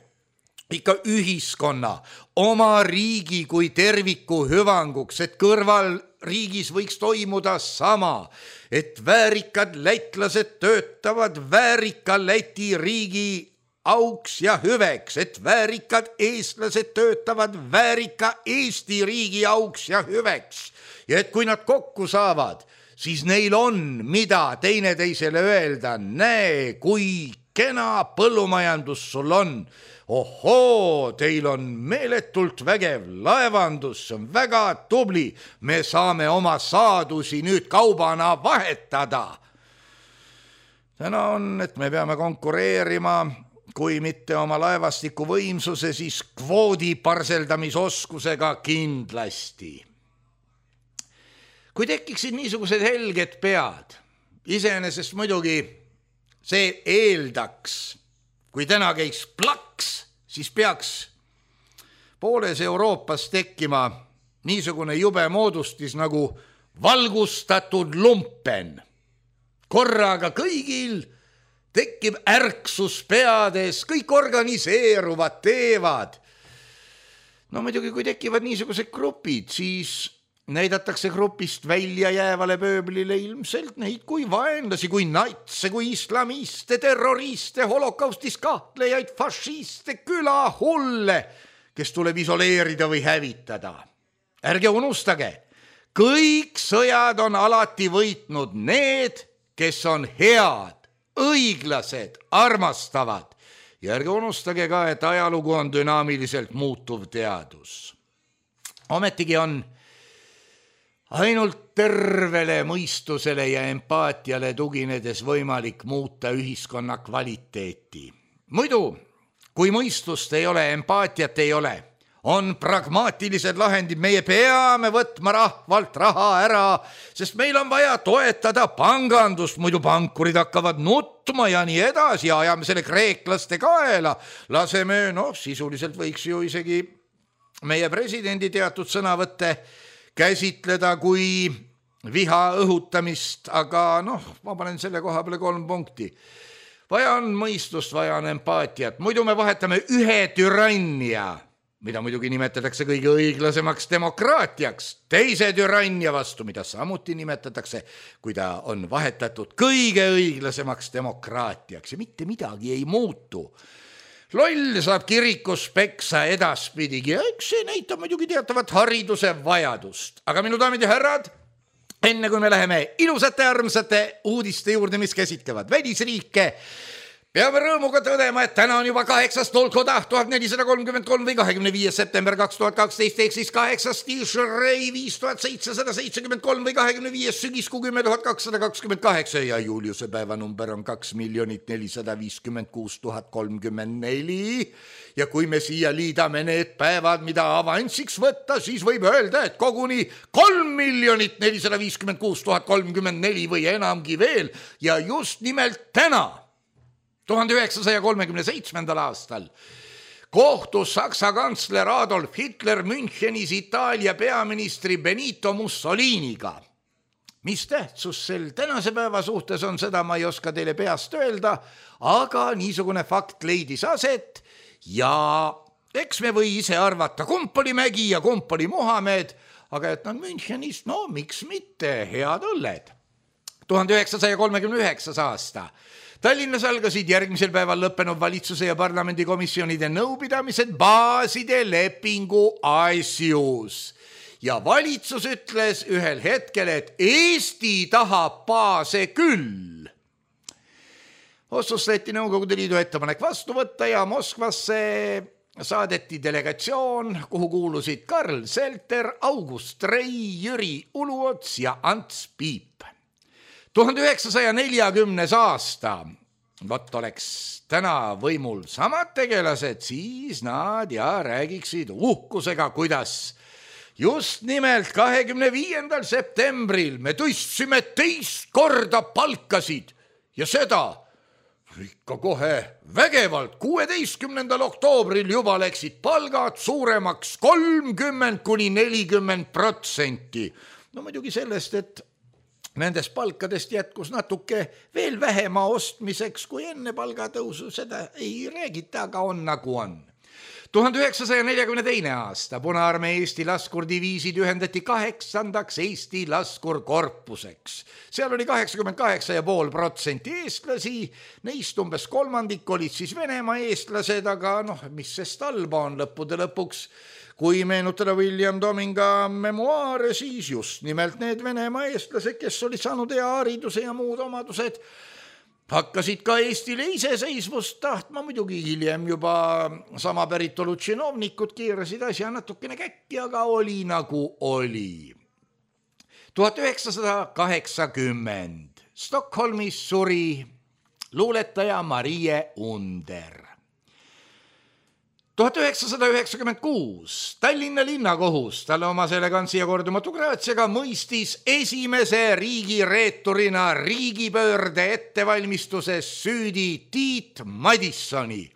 Ikka ühiskonna, oma riigi kui terviku hüvanguks, et kõrval riigis võiks toimuda sama, et väärikad lätlased töötavad väärika Läti riigi auks ja hüveks, et väärikad eestlased töötavad väärika Eesti riigi auks ja hüveks. Ja et kui nad kokku saavad, siis neil on, mida teineteisele öelda. Näe, kui kena põllumajandus sul on. Ohoo, teil on meeletult vägev laevandus, see on väga tubli. Me saame oma saadusi nüüd kaubana vahetada. Täna on, et me peame konkureerima kui mitte oma laevastiku võimsuse, siis kvoodi parseldamisoskusega kindlasti. Kui tekiksid niisugused helged pead, iseenesest muidugi see eeldaks, kui täna käiks plaks, siis peaks pooles Euroopas tekkima niisugune jube moodustis nagu valgustatud lumpen. Korraga kõigil tekib ärksus peades, kõik organiseeruvad, teevad. Muidugi, kui tekivad niisugused grupid, siis näidatakse grupist välja jäävale pööblile ilmselt neid kui vaenlasi, kui natse, kui islamiste, terroriste, holokaustis kahtlejaid, fašiste, külahulle, kes tuleb isoleerida või hävitada. Ärge unustage, kõik sõjad on alati võitnud need, kes on head, õiglased, armastavad. Ja ärge unustage ka, et ajalugu on dünaamiliselt muutuv teadus. Ometigi on ainult tervele mõistusele ja empaatiale tuginedes võimalik muuta ühiskonna kvaliteeti. Muidu, kui mõistust ei ole, empaatiat ei ole, on pragmaatilised lahendid, meie peame võtma rahvalt raha ära, sest meil on vaja toetada pangandust, muidu pankurid hakkavad nutma ja nii edasi ja ajame selle kreeklaste kaela. Laseme, sisuliselt võiks ju isegi meie presidendi teatud sõnavõtte käsitleda kui viha õhutamist, aga ma panen selle koha peale 3 punkti. Vaja on mõistust, vaja on empaatiat, muidu me vahetame ühe türannia, mida muidugi nimetatakse kõige õiglasemaks demokraatiaks, teise türannia vastu, mida samuti nimetatakse, kui ta on vahetatud kõige õiglasemaks demokraatiaks ja mitte midagi ei muutu. Loll saab kirikus peksa edaspidigi ja eks see näitab muidugi teatavat hariduse vajadust. Aga minu daamid ja härrad, enne kui me läheme ilusate armsate uudiste juurde, mis käsitlevad välisriike, peame rõõmuga tõdema, et täna on juba 8. Tolkoda 1433 või 25. september 2012 ehk siis 8. Tishrei 5773 või 25. sügiskuu 10.228 ja Juliuse päevanumber on 2 456 034 ja kui me siia liidame need päevad, mida avansiks võtta, siis võib öelda, et koguni 3 456 034 või enamgi veel ja just nimelt täna 1937. aastal kohtus Saksa kantsler Adolf Hitler Münchenis Itaalia peaministri Benito Mussoliniga. Mis tähtsus sel tänase päeva suhtes on, seda ma ei oska teile peast öelda, aga niisugune fakt leidis aset ja eks me või ise arvata, kumb oli Mägi ja kumb oli Muhamed, aga et nad Münchenist, miks mitte, head õlled. 1939. aasta Tallinnas algasid järgmisel päeval lõppenud valitsuse ja parlamendikomisjonide nõupidamised baaside lepingu asjus. Ja valitsus ütles ühel hetkel, et Eesti tahab baase küll. Otsustati Nõukogude Liidu ettepanek vastu võtta ja Moskvasse saadeti delegatsioon, kuhu kuulusid Karl Selter, August Rei, Jüri Uluots ja Ants Piip. 1940. aasta, oleks täna võimul samad tegelased, siis nad räägiksid uhkusega, kuidas just nimelt 25. septembril me tõstsime 2 korda palkasid ja seda ikka kohe vägevalt. 16. oktoobril juba läksid palgad suuremaks 30–40%. Muidugi sellest, et nendest palkadest jätkus natuke veel vähema ostmiseks kui enne palgatõusu, seda ei räägita, aga on nagu on. 1942. aasta Punaarmee Eesti laskurdiviisid ühendati 8. Eesti laskurkorpuseks. Seal oli 88,5% eestlasi, neist umbes kolmandik olid siis Venemaa eestlased, aga mis sest halba on lõppude lõpuks. Kui meenutada William Dominga memuaare, siis just nimelt need Venemaa eestlased, kes olid saanud hea hariduse ja muud omadused, hakkasid ka Eestile iseseisvust tahtma, muidugi hiljem juba sama päritolu činovnikud keerasid asja natukene käkki, aga oli nagu oli. 1980 Stockholmis suri luuletaja Marie Under. 1996 Tallinna linnakohus talle omase elegantsi ja kordumatu graatsiaga mõistis esimese riigireeturina riigipöörde ettevalmistuses süüdi Tiit Madissoni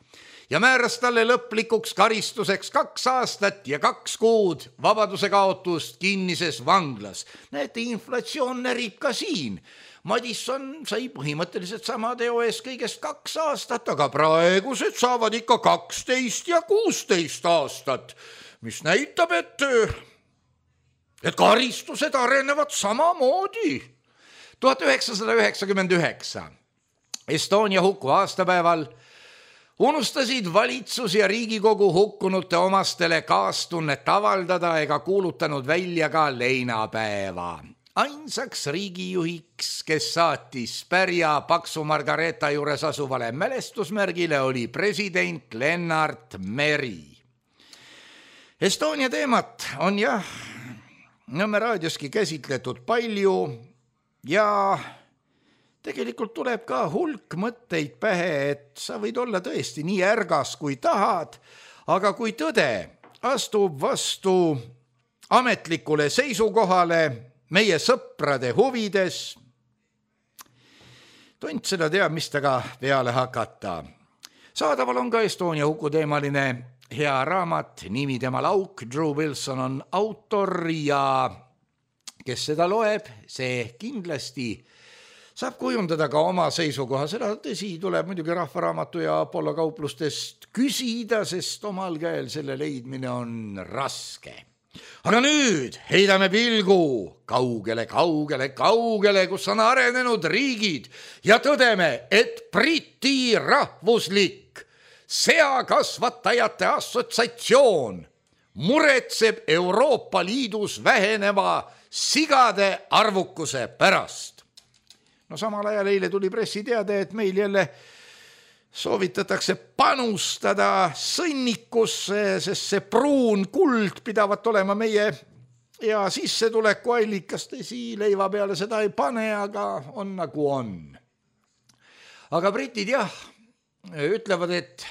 ja määras talle lõplikuks karistuseks 2 aastat ja 2 kuud vabaduse kaotust kinnises vanglas. Näete, inflatsioon närib ka siin. Madisson sai põhimõtteliselt sama teo ees kõigest 2 aastat, aga praegused saavad ikka 12 ja 16 aastat, mis näitab, et karistused arenevad samamoodi. 1999 Estonia huku aastapäeval unustasid valitsus ja Riigikogu hukkunute omastele kaastunnet avaldada ega kuulutanud välja ka leinapäeva. Ainsaks riigijuhiks, kes saatis pärja Paksu Margareeta juures asuvale mälestusmärgile, oli president Lennart Meri. Estonia teemat on jah Nõmme raadioski käsitletud palju ja tegelikult tuleb ka hulk mõtteid pähe, et sa võid olla tõesti nii ärgas kui tahad, aga kui tõde astub vastu ametlikule seisukohale meie sõprade huvides, tont seda teab, mis taga peale hakata. Saadaval on ka Estonia huku teemaline hea raamat, nimi temal Auk, Drew Wilson on autor ja kes seda loeb, see kindlasti saab kujundada ka oma seisukoha. Seda tõsi tuleb muidugi Rahvaraamatu ja Apollo kauplustest küsida, sest omal käel selle leidmine on raske. Aga nüüd heidame pilgu kaugele, kus on arenenud riigid ja tõdeme, et Briti rahvuslik seakasvatajate assotsiatsioon muretseb Euroopa Liidus väheneva sigade arvukuse pärast. No samal ajal eile tuli pressiteade, et meil jälle soovitatakse panustada sõnnikusse, sest see pruun kuld pidavat olema meie ja sissetuleku allikas. Tõsi, leiva peale seda ei pane, aga on nagu on. Aga britid jah, ütlevad, et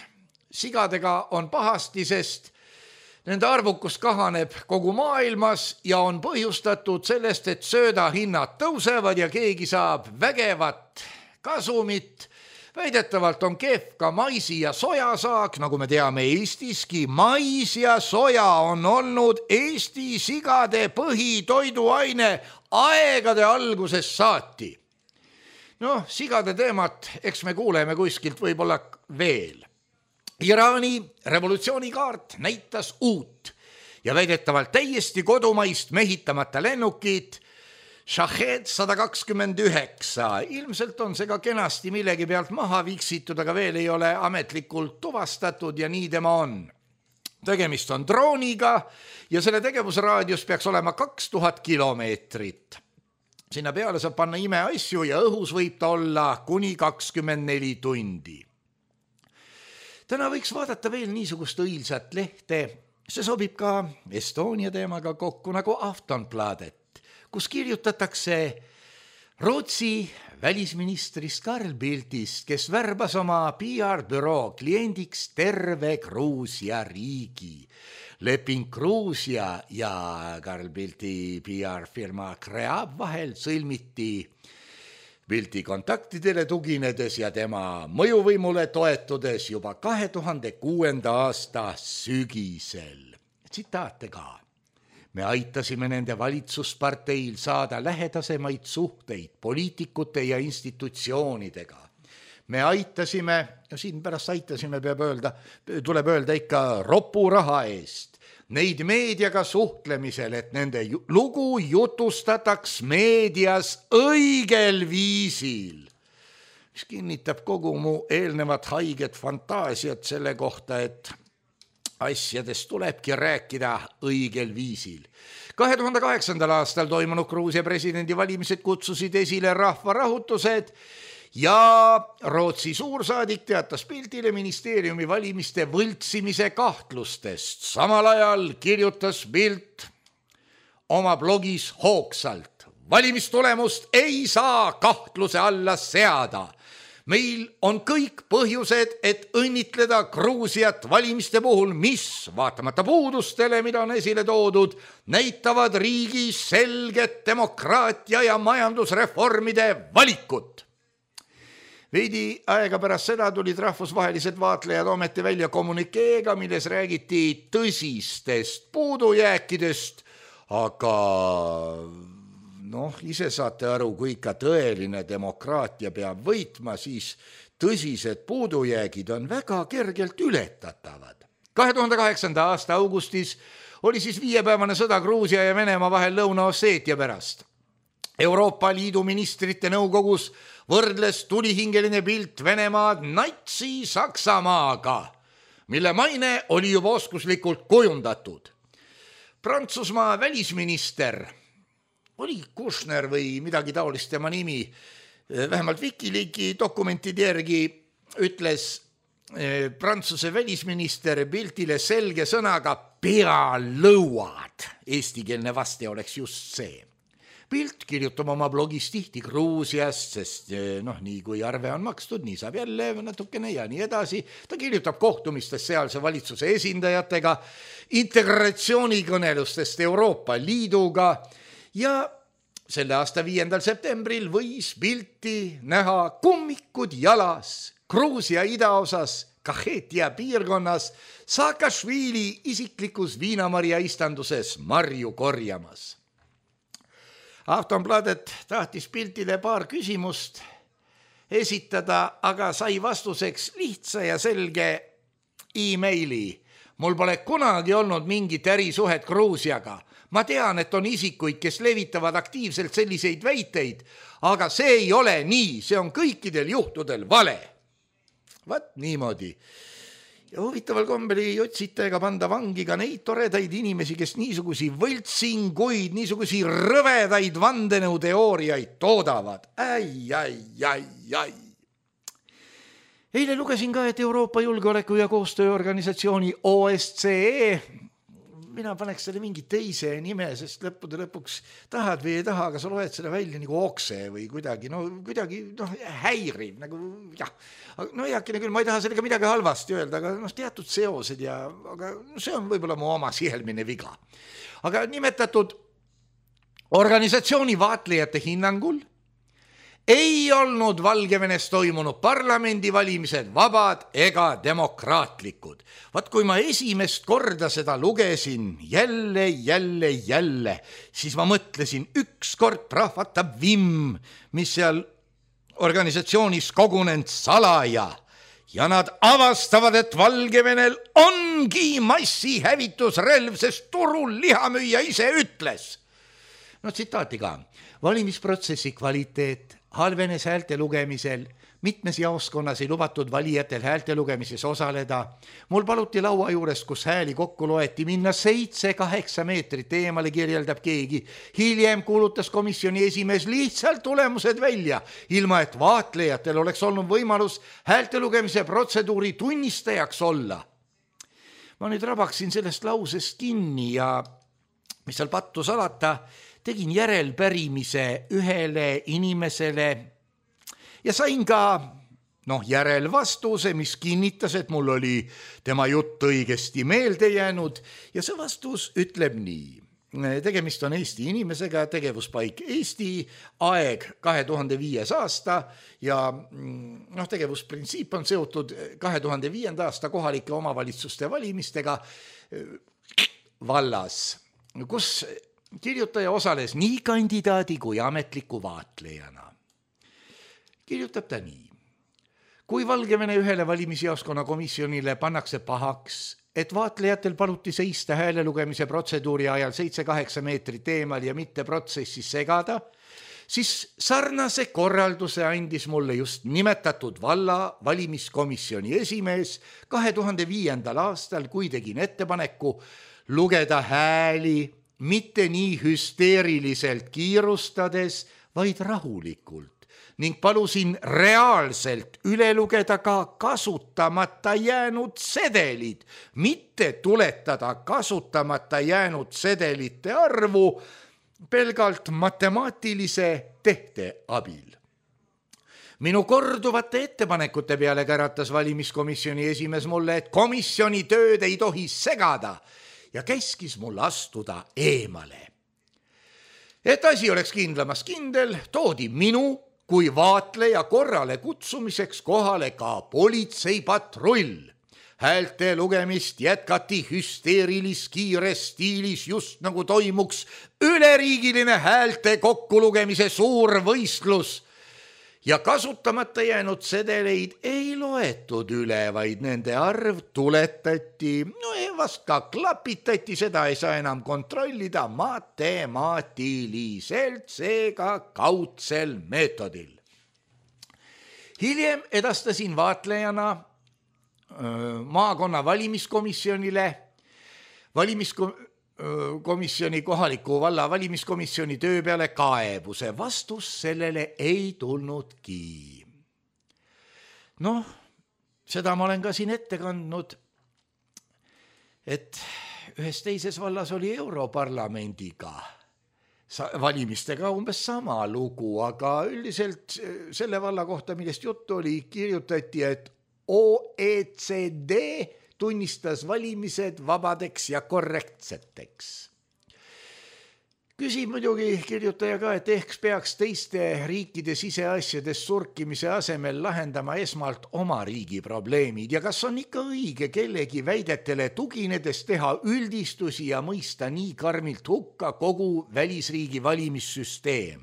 sigadega on pahasti, sest nende arvukus kahaneb kogu maailmas ja on põhjustatud sellest, et söödahinnad tõusevad ja keegi saab vägevat kasumit. Väidetavalt on kehv ka maisi ja sojasaak, nagu me teame Eestiski. Mais ja soja on olnud Eesti sigade põhitoiduaine aegade algusest saati. Noh, sigade teemat, eks me kuuleme kuskilt võib-olla veel. Iraani revolutsioonikaart näitas uut ja väidetavalt täiesti kodumaist mehitamata lennukit Shahed 129. Ilmselt on see ka kenasti millegi pealt maha viksitud, aga veel ei ole ametlikult tuvastatud ja nii tema on. Tegemist on drooniga ja selle tegevusraadius peaks olema 2000 kilomeetrit. Sinna peale saab panna imeasju ja õhus võib ta olla kuni 24 tundi. Täna võiks vaadata veel niisugust õilsat lehte, see sobib ka Estonia teemaga kokku nagu Aftonbladet, kus kirjutatakse Rootsi välisministrist Carl Bildtist, kes värbas oma PR-büroo kliendiks terve Gruusia riigi. Leping Gruusia ja Carl Bildti PR-firma Kreab vahel sõlmiti Bildti kontaktidele tuginedes ja tema mõjuvõimule toetudes juba 2006. aasta sügisel. Tsitaate ka. Me aitasime nende valitsusparteil saada lähedasemaid suhteid poliitikute ja institutsioonidega. Me aitasime, ja siin pärast aitasime tuleb öelda ikka ropuraha eest, neid meediaga suhtlemisel, et nende lugu jutustataks meedias õigel viisil. Mis kinnitab kogu mu eelnevat haiget fantaasiat selle kohta, et asjadest tulebki rääkida õigel viisil. 2008. aastal toimunud Gruusia presidendivalimised kutsusid esile rahvarahutused ja Rootsi suursaadik teatas Bildtile ministeeriumi valimiste võltsimise kahtlustest. Samal ajal kirjutas Bildt oma blogis hoogsalt. Valimistulemust ei saa kahtluse alla seada. Meil on kõik põhjused, et õnnitleda Gruusiat valimiste puhul, mis, vaatamata puudustele, mida on esile toodud, näitavad riigis selget demokraatia ja majandusreformide valikut. Veidi aega pärast seda tulid rahvusvahelised vaatlejad ometi välja kommunikeega, milles räägiti tõsistest puudujääkidest, aga ise saate aru, kui ikka tõeline demokraatia peab võitma, siis tõsised puudujäägid on väga kergelt ületatavad. 2008. aasta augustis oli siis 5-päevane sõda Gruusia ja Venemaa vahel Lõuna-Osseetia pärast. Euroopa Liidu ministrite nõukogus võrdles tulihingeline Bildt Venemaad Natsi-Saksamaaga, mille maine oli juba oskuslikult kujundatud. Prantsusmaa välisminister oli Kushner või midagi taolist tema nimi, vähemalt Wikileaki dokumentide järgi ütles Prantsuse välisminister Bildtile selge sõnaga pealõuad. Eestikeelne vaste oleks just see. Pilt kirjutab oma blogis tihti Gruusiast, sest nii kui arve on makstud, nii saab jälle natukene ja nii edasi. Ta kirjutab kohtumistest sealse valitsuse esindajatega, integratsioonikõnelustest Euroopa Liiduga ja selle aasta 5. septembril võis pilti näha kummikud jalas Gruusia idaosas Kahetia piirkonnas Saakašvili isiklikus viinamarja istanduses marju korjamas. Aftonbladet tahtis piltile paar küsimust esitada, aga sai vastuseks lihtsa ja selge e-maili. Mul pole kunagi olnud mingit ärisuhet Gruusiaga. Ma tean, et on isikuid, kes levitavad aktiivselt selliseid väiteid, aga see ei ole nii, see on kõikidel juhtudel vale. Vaat niimoodi. Ja huvitaval kombel ei otsita ega panda vangi ka neid toredaid inimesi, kes niisugusi võltsinguid, niisugusi rõvedaid vandenõuteooriaid toodavad. Ai. Eile lugesin ka, et Euroopa Julgeoleku- ja Koostööorganisatsiooni OSCE, mina paneks selle mingi teise nime, sest lõpuks tahad või ei taha, aga sa loed selle välja nagu okse või kuidagi häiriv, nagu jah. Heakene küll, ma ei taha sellega midagi halvasti öelda, aga teatud seosed aga see on võib-olla mu oma sihelmine viga. Aga nimetatud organisatsiooni vaatlejate hinnangul ei olnud Valgevenes toimunud parlamendivalimised vabad ega demokraatlikud. Vaat kui ma esimest korda seda lugesin jälle, siis ma mõtlesin, ükskord prahvatab vimm, mis seal organisatsioonis kogunenud salaja ja nad avastavad, et Valgevenel ongi massihävitusrelv, sest turul lihamüüja ise ütles. Tsitaati ka. Valimisprotsessi kvaliteet halvenes häälte lugemisel, mitmes jaoskonnas ei lubatud valijatel häälte lugemises osaleda. Mul paluti laua juures, kus hääli kokku loeti, minna 7-8 meetrit eemale, kirjeldab keegi. Hiljem kuulutas komisjoni esimees lihtsalt tulemused välja, ilma et vaatlejatel oleks olnud võimalus häälte lugemise protseduuri tunnistajaks olla. Ma nüüd rabaksin sellest lausest kinni ja mis seal pattu salata, tegin järelpärimise ühele inimesele ja sain ka järelvastuse, mis kinnitas, et mul oli tema jutt õigesti meelde jäänud ja see vastus ütleb nii. Tegemist on Eesti inimesega, tegevuspaik Eesti, aeg 2005. aasta ja tegevusprintsiip on seotud 2005. aasta kohalike omavalitsuste valimistega vallas, kus kirjutaja osales nii kandidaadi kui ametliku vaatlejana. Kirjutab ta nii. Kui Valgevene ühele valimisjaoskonna komisjonile pannakse pahaks, et vaatlejatel paluti seista hääle lugemise protseduuri ajal 7-8 meetrit eemal ja mitte protsessis segada, siis sarnase korralduse andis mulle just nimetatud valla valimiskomisjoni esimees 2005. aastal, kui tegin ettepaneku lugeda hääli mitte nii hüsteeriliselt kiirustades, vaid rahulikult ning palusin reaalselt üle lugeda ka kasutamata jäänud sedelid, mitte tuletada kasutamata jäänud sedelite arvu pelgalt matemaatilise tehte abil. Minu korduvate ettepanekute peale käratas valimiskomisjoni esimees mulle, et komisjoni tööd ei tohi segada ja käskis mul astuda eemale. Et asi oleks kindlamas kindel, toodi minu kui vaatleja korrale kutsumiseks kohale ka politseipatrull. Häälte lugemist jätkati hüsteerilis kiires stiilis, just nagu toimuks üleriigiline häälte kokkulugemise suur võistlus. Ja kasutamata jäänud sedeleid ei loetud üle, vaid nende arv tuletati, vast ka klapitati, seda ei saa enam kontrollida matemaatiliselt, seega kaudsel meetodil. Hiljem edastasin vaatlejana maakonna valimiskomisjonile, kohaliku valla valimiskomisjoni töö peale kaebuse. Vastus sellele ei tulnudki. Seda ma olen ka siin ette kandnud, et ühes teises vallas oli Europarlamendiga valimistega umbes sama lugu, aga üldiselt selle valla kohta, millest juttu oli, kirjutati, et OECD tunnistas valimised vabadeks ja korrektseteks. Küsib muidugi kirjutaja ka, et ehk peaks teiste riikide siseasjades surkimise asemel lahendama esmalt oma riigi probleemid ja kas on ikka õige kellegi väidetele tuginedes teha üldistusi ja mõista nii karmilt hukka kogu välisriigi valimissüsteem.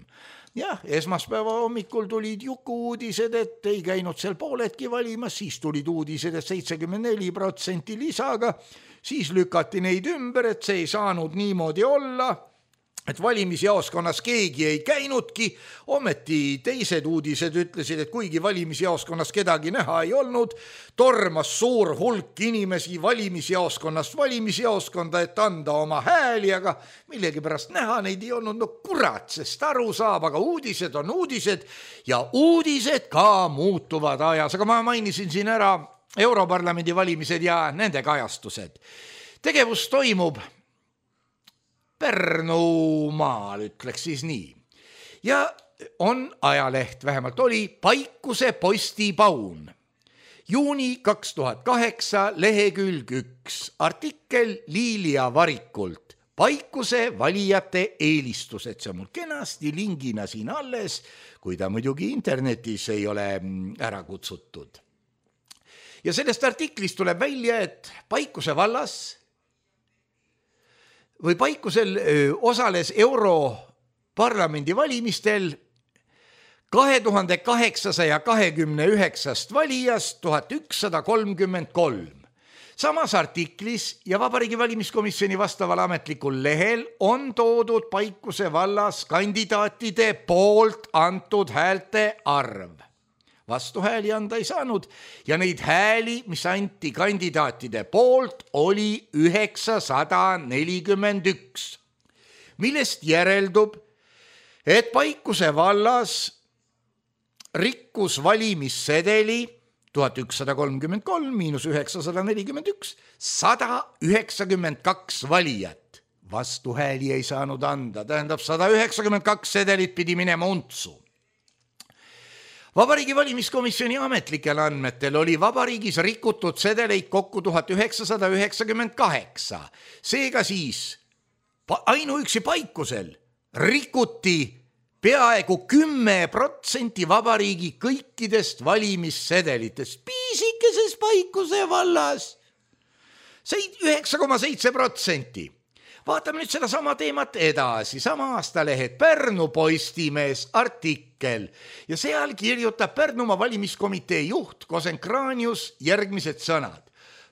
Jah, esmaspäeva hommikul tulid Juku uudised, et ei käinud seal pooledki valimas, siis tulid uudised, et 74% lisaga, siis lükati neid ümber, et see ei saanud niimoodi olla, et valimisjaoskonnas keegi ei käinudki, ometi teised uudised ütlesid, et kuigi valimisjaoskonnas kedagi näha ei olnud, tormas suur hulk inimesi valimisjaoskonnast valimisjaoskonda, et anda oma hääli, aga millegi pärast näha neid ei olnud, no kurat, sest aru saab, aga uudised on uudised ja uudised ka muutuvad ajas, aga ma mainisin siin ära Europarlamendi valimised ja nende kajastused. Tegevus toimub Pärnumaal, ütleks siis nii. Ja on ajaleht, vähemalt oli, Paikuse Postipaun. Juuni 2008, lehekülg 1, artikkel Liilia Varikult. Paikuse valijate eelistused, see on mul kenasti lingina siin alles, kui ta muidugi internetis ei ole ära kutsutud. Ja sellest artiklist tuleb välja, et Paikuse vallas või Paikusel osales Europarlamendi valimistel 2829 valijast 1133. Samas artiklis ja Vabariigi Valimiskomisjoni vastaval ametlikul lehel on toodud Paikuse vallas kandidaatide poolt antud häälte arv. Vastuhääli anda ei saanud ja neid hääli, mis anti kandidaatide poolt, oli 941, millest järeldub, et Paikuse vallas rikkus valimissedeli 1133 miinus 941, 192 valijat. Vastuhääli ei saanud anda, tähendab 192 sedelit pidi minema untsu. Vabariigi Valimiskomisjoni ametlikel andmetel oli vabariigis rikutud sedeleid kokku 1998. Seega siis ainuüksi Paikusel rikuti peaaegu 10% vabariigi kõikidest valimissedelitest. Piisikeses Paikuse vallas 9,7%. Vaatame nüüd seda sama teemat edasi. Sama aastalehed Pärnu Postimees artikkel ja seal kirjutab Pärnumaa valimiskomitee juht Kosenkraanius järgmised sõnad.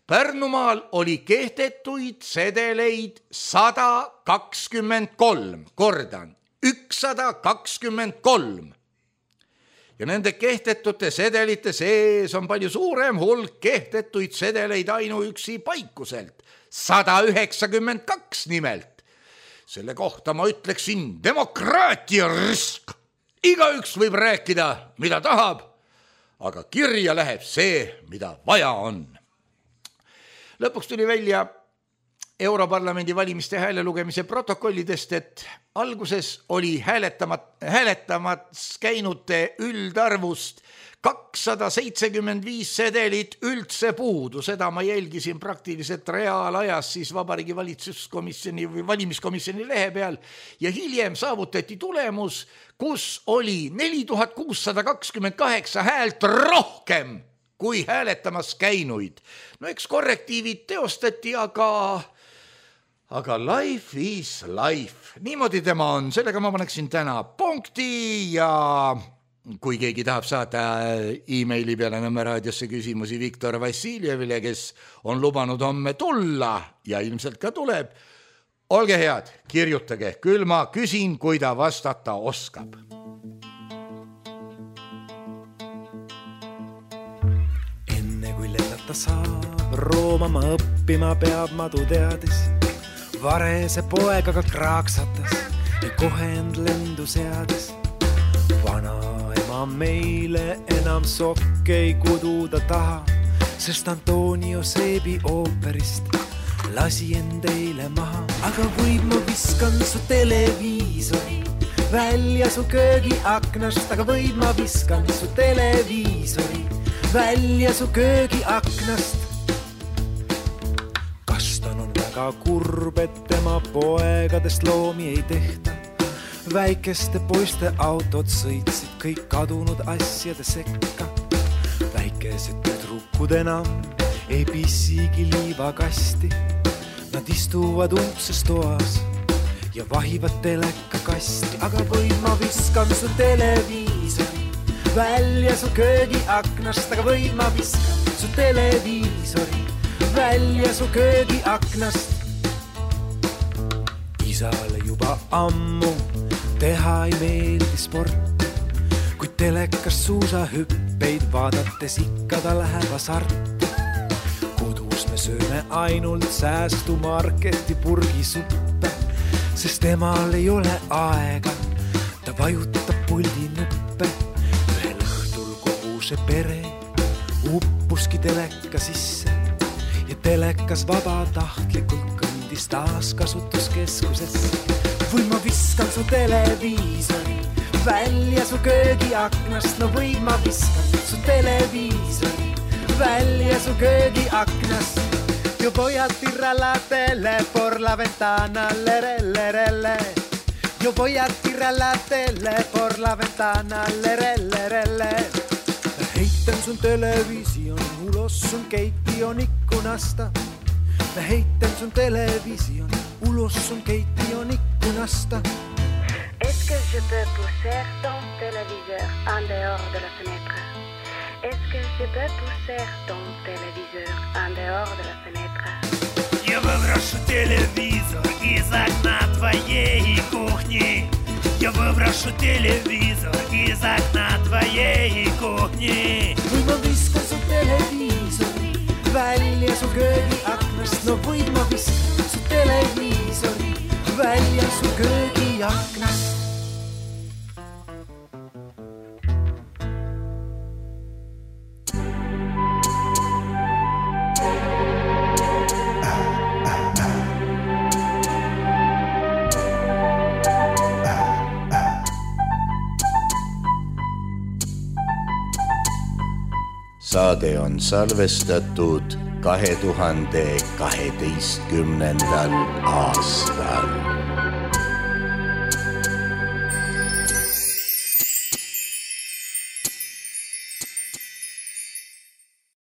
Pärnumaal oli kehtetuid sedeleid 123, kordan, 123. Ja nende kehtetute sedelite sees on palju suurem hulk kehtetuid sedeleid ainuüksi Paikuselt. 192 nimelt. Selle kohta ma ütleksin demokraatia risk. Igaüks võib rääkida, mida tahab, aga kirja läheb see, mida vaja on. Lõpuks tuli välja Europarlamendi valimiste häälelugemise protokollidest, et alguses oli hääletamas käinute üldarvust 275 sedelit üldse puudu. Seda ma jälgisin praktiliselt reaalajas siis Vabariigi Valitsuskomisjoni või valimiskomisjoni lehe peal ja hiljem saavutati tulemus, kus oli 4628 häält rohkem kui hääletamas käinuid. No eks korrektiivid teostati, aga life is life. Niimoodi tema on. Sellega ma paneksin täna punkti ja kui keegi tahab saada e-maili peale Nõmme raadiosse küsimusi Viktor Vassiljevile, kes on lubanud homme tulla ja ilmselt ka tuleb, olge head, kirjutage, küll ma küsin, kui ta vastata oskab. Enne kui lennata saab, Rooma ma õppima peab, madu teadis. Varese poeg aga kraaksatas ja kohe end lendu seadis. Vana meile enam sokke ei kududa taha, sest Antonio Seebi ooperist lasi end eile maha, aga võib ma viskan su televiisori välja su köögiaknast, aga võib ma viskan su televiisori välja su köögiaknast. Kastan on väga kurb, et tema poegadest loomi ei tehta. Väikeste poiste autod sõitsid kõik kadunud asjade sekka. Väikesed tüdrukud enam ei pissigi liivakasti. Nad istuvad umbses toas ja vahivad telekakasti, aga või ma viskan su televiisori välja su köögiaknast, aga või ma viskan su televiisori välja su köögiaknast. Isale juba ammu teha ei meeldi sport, kui telekas suusahüppeid vaadates ikka ta läheb hasarti. Kodus me sööme ainult säästumarketi purgisuppe, sest temal ei ole aega, ta vajutab puldi nuppe. Ühel õhtul kogu see pere uppuski teleka sisse ja telekas vabatahtlikult kõndis taaskasutuskeskusesse. Või ma viskan su televiisori välja su köögiaknast, no või ma viskan su televiisori välja su köögiaknast. Yo voy a tirar la tele por la ventana, lerellerelle. Yo voy a tirar la tele por la ventana, lerellerelle. Mä heitän sun television ulos sun keittiön ikkunasta. Mä heitän sun television ulos sun keittiön ikkunasta. Est-ce que je peux pousser ton téléviseur en dehors de la fenêtre? Est-ce que je peux pousser ton téléviseur en dehors de la fenêtre? Я выброшу телевизор из окна твоей кухни. Я выброшу телевизор из окна твоей кухни. Või ma viskan su televiisori välja su köögiaknast, no või ma viskan su televiisori välja su köögiaknast. Saade on salvestatud 2012. aastal.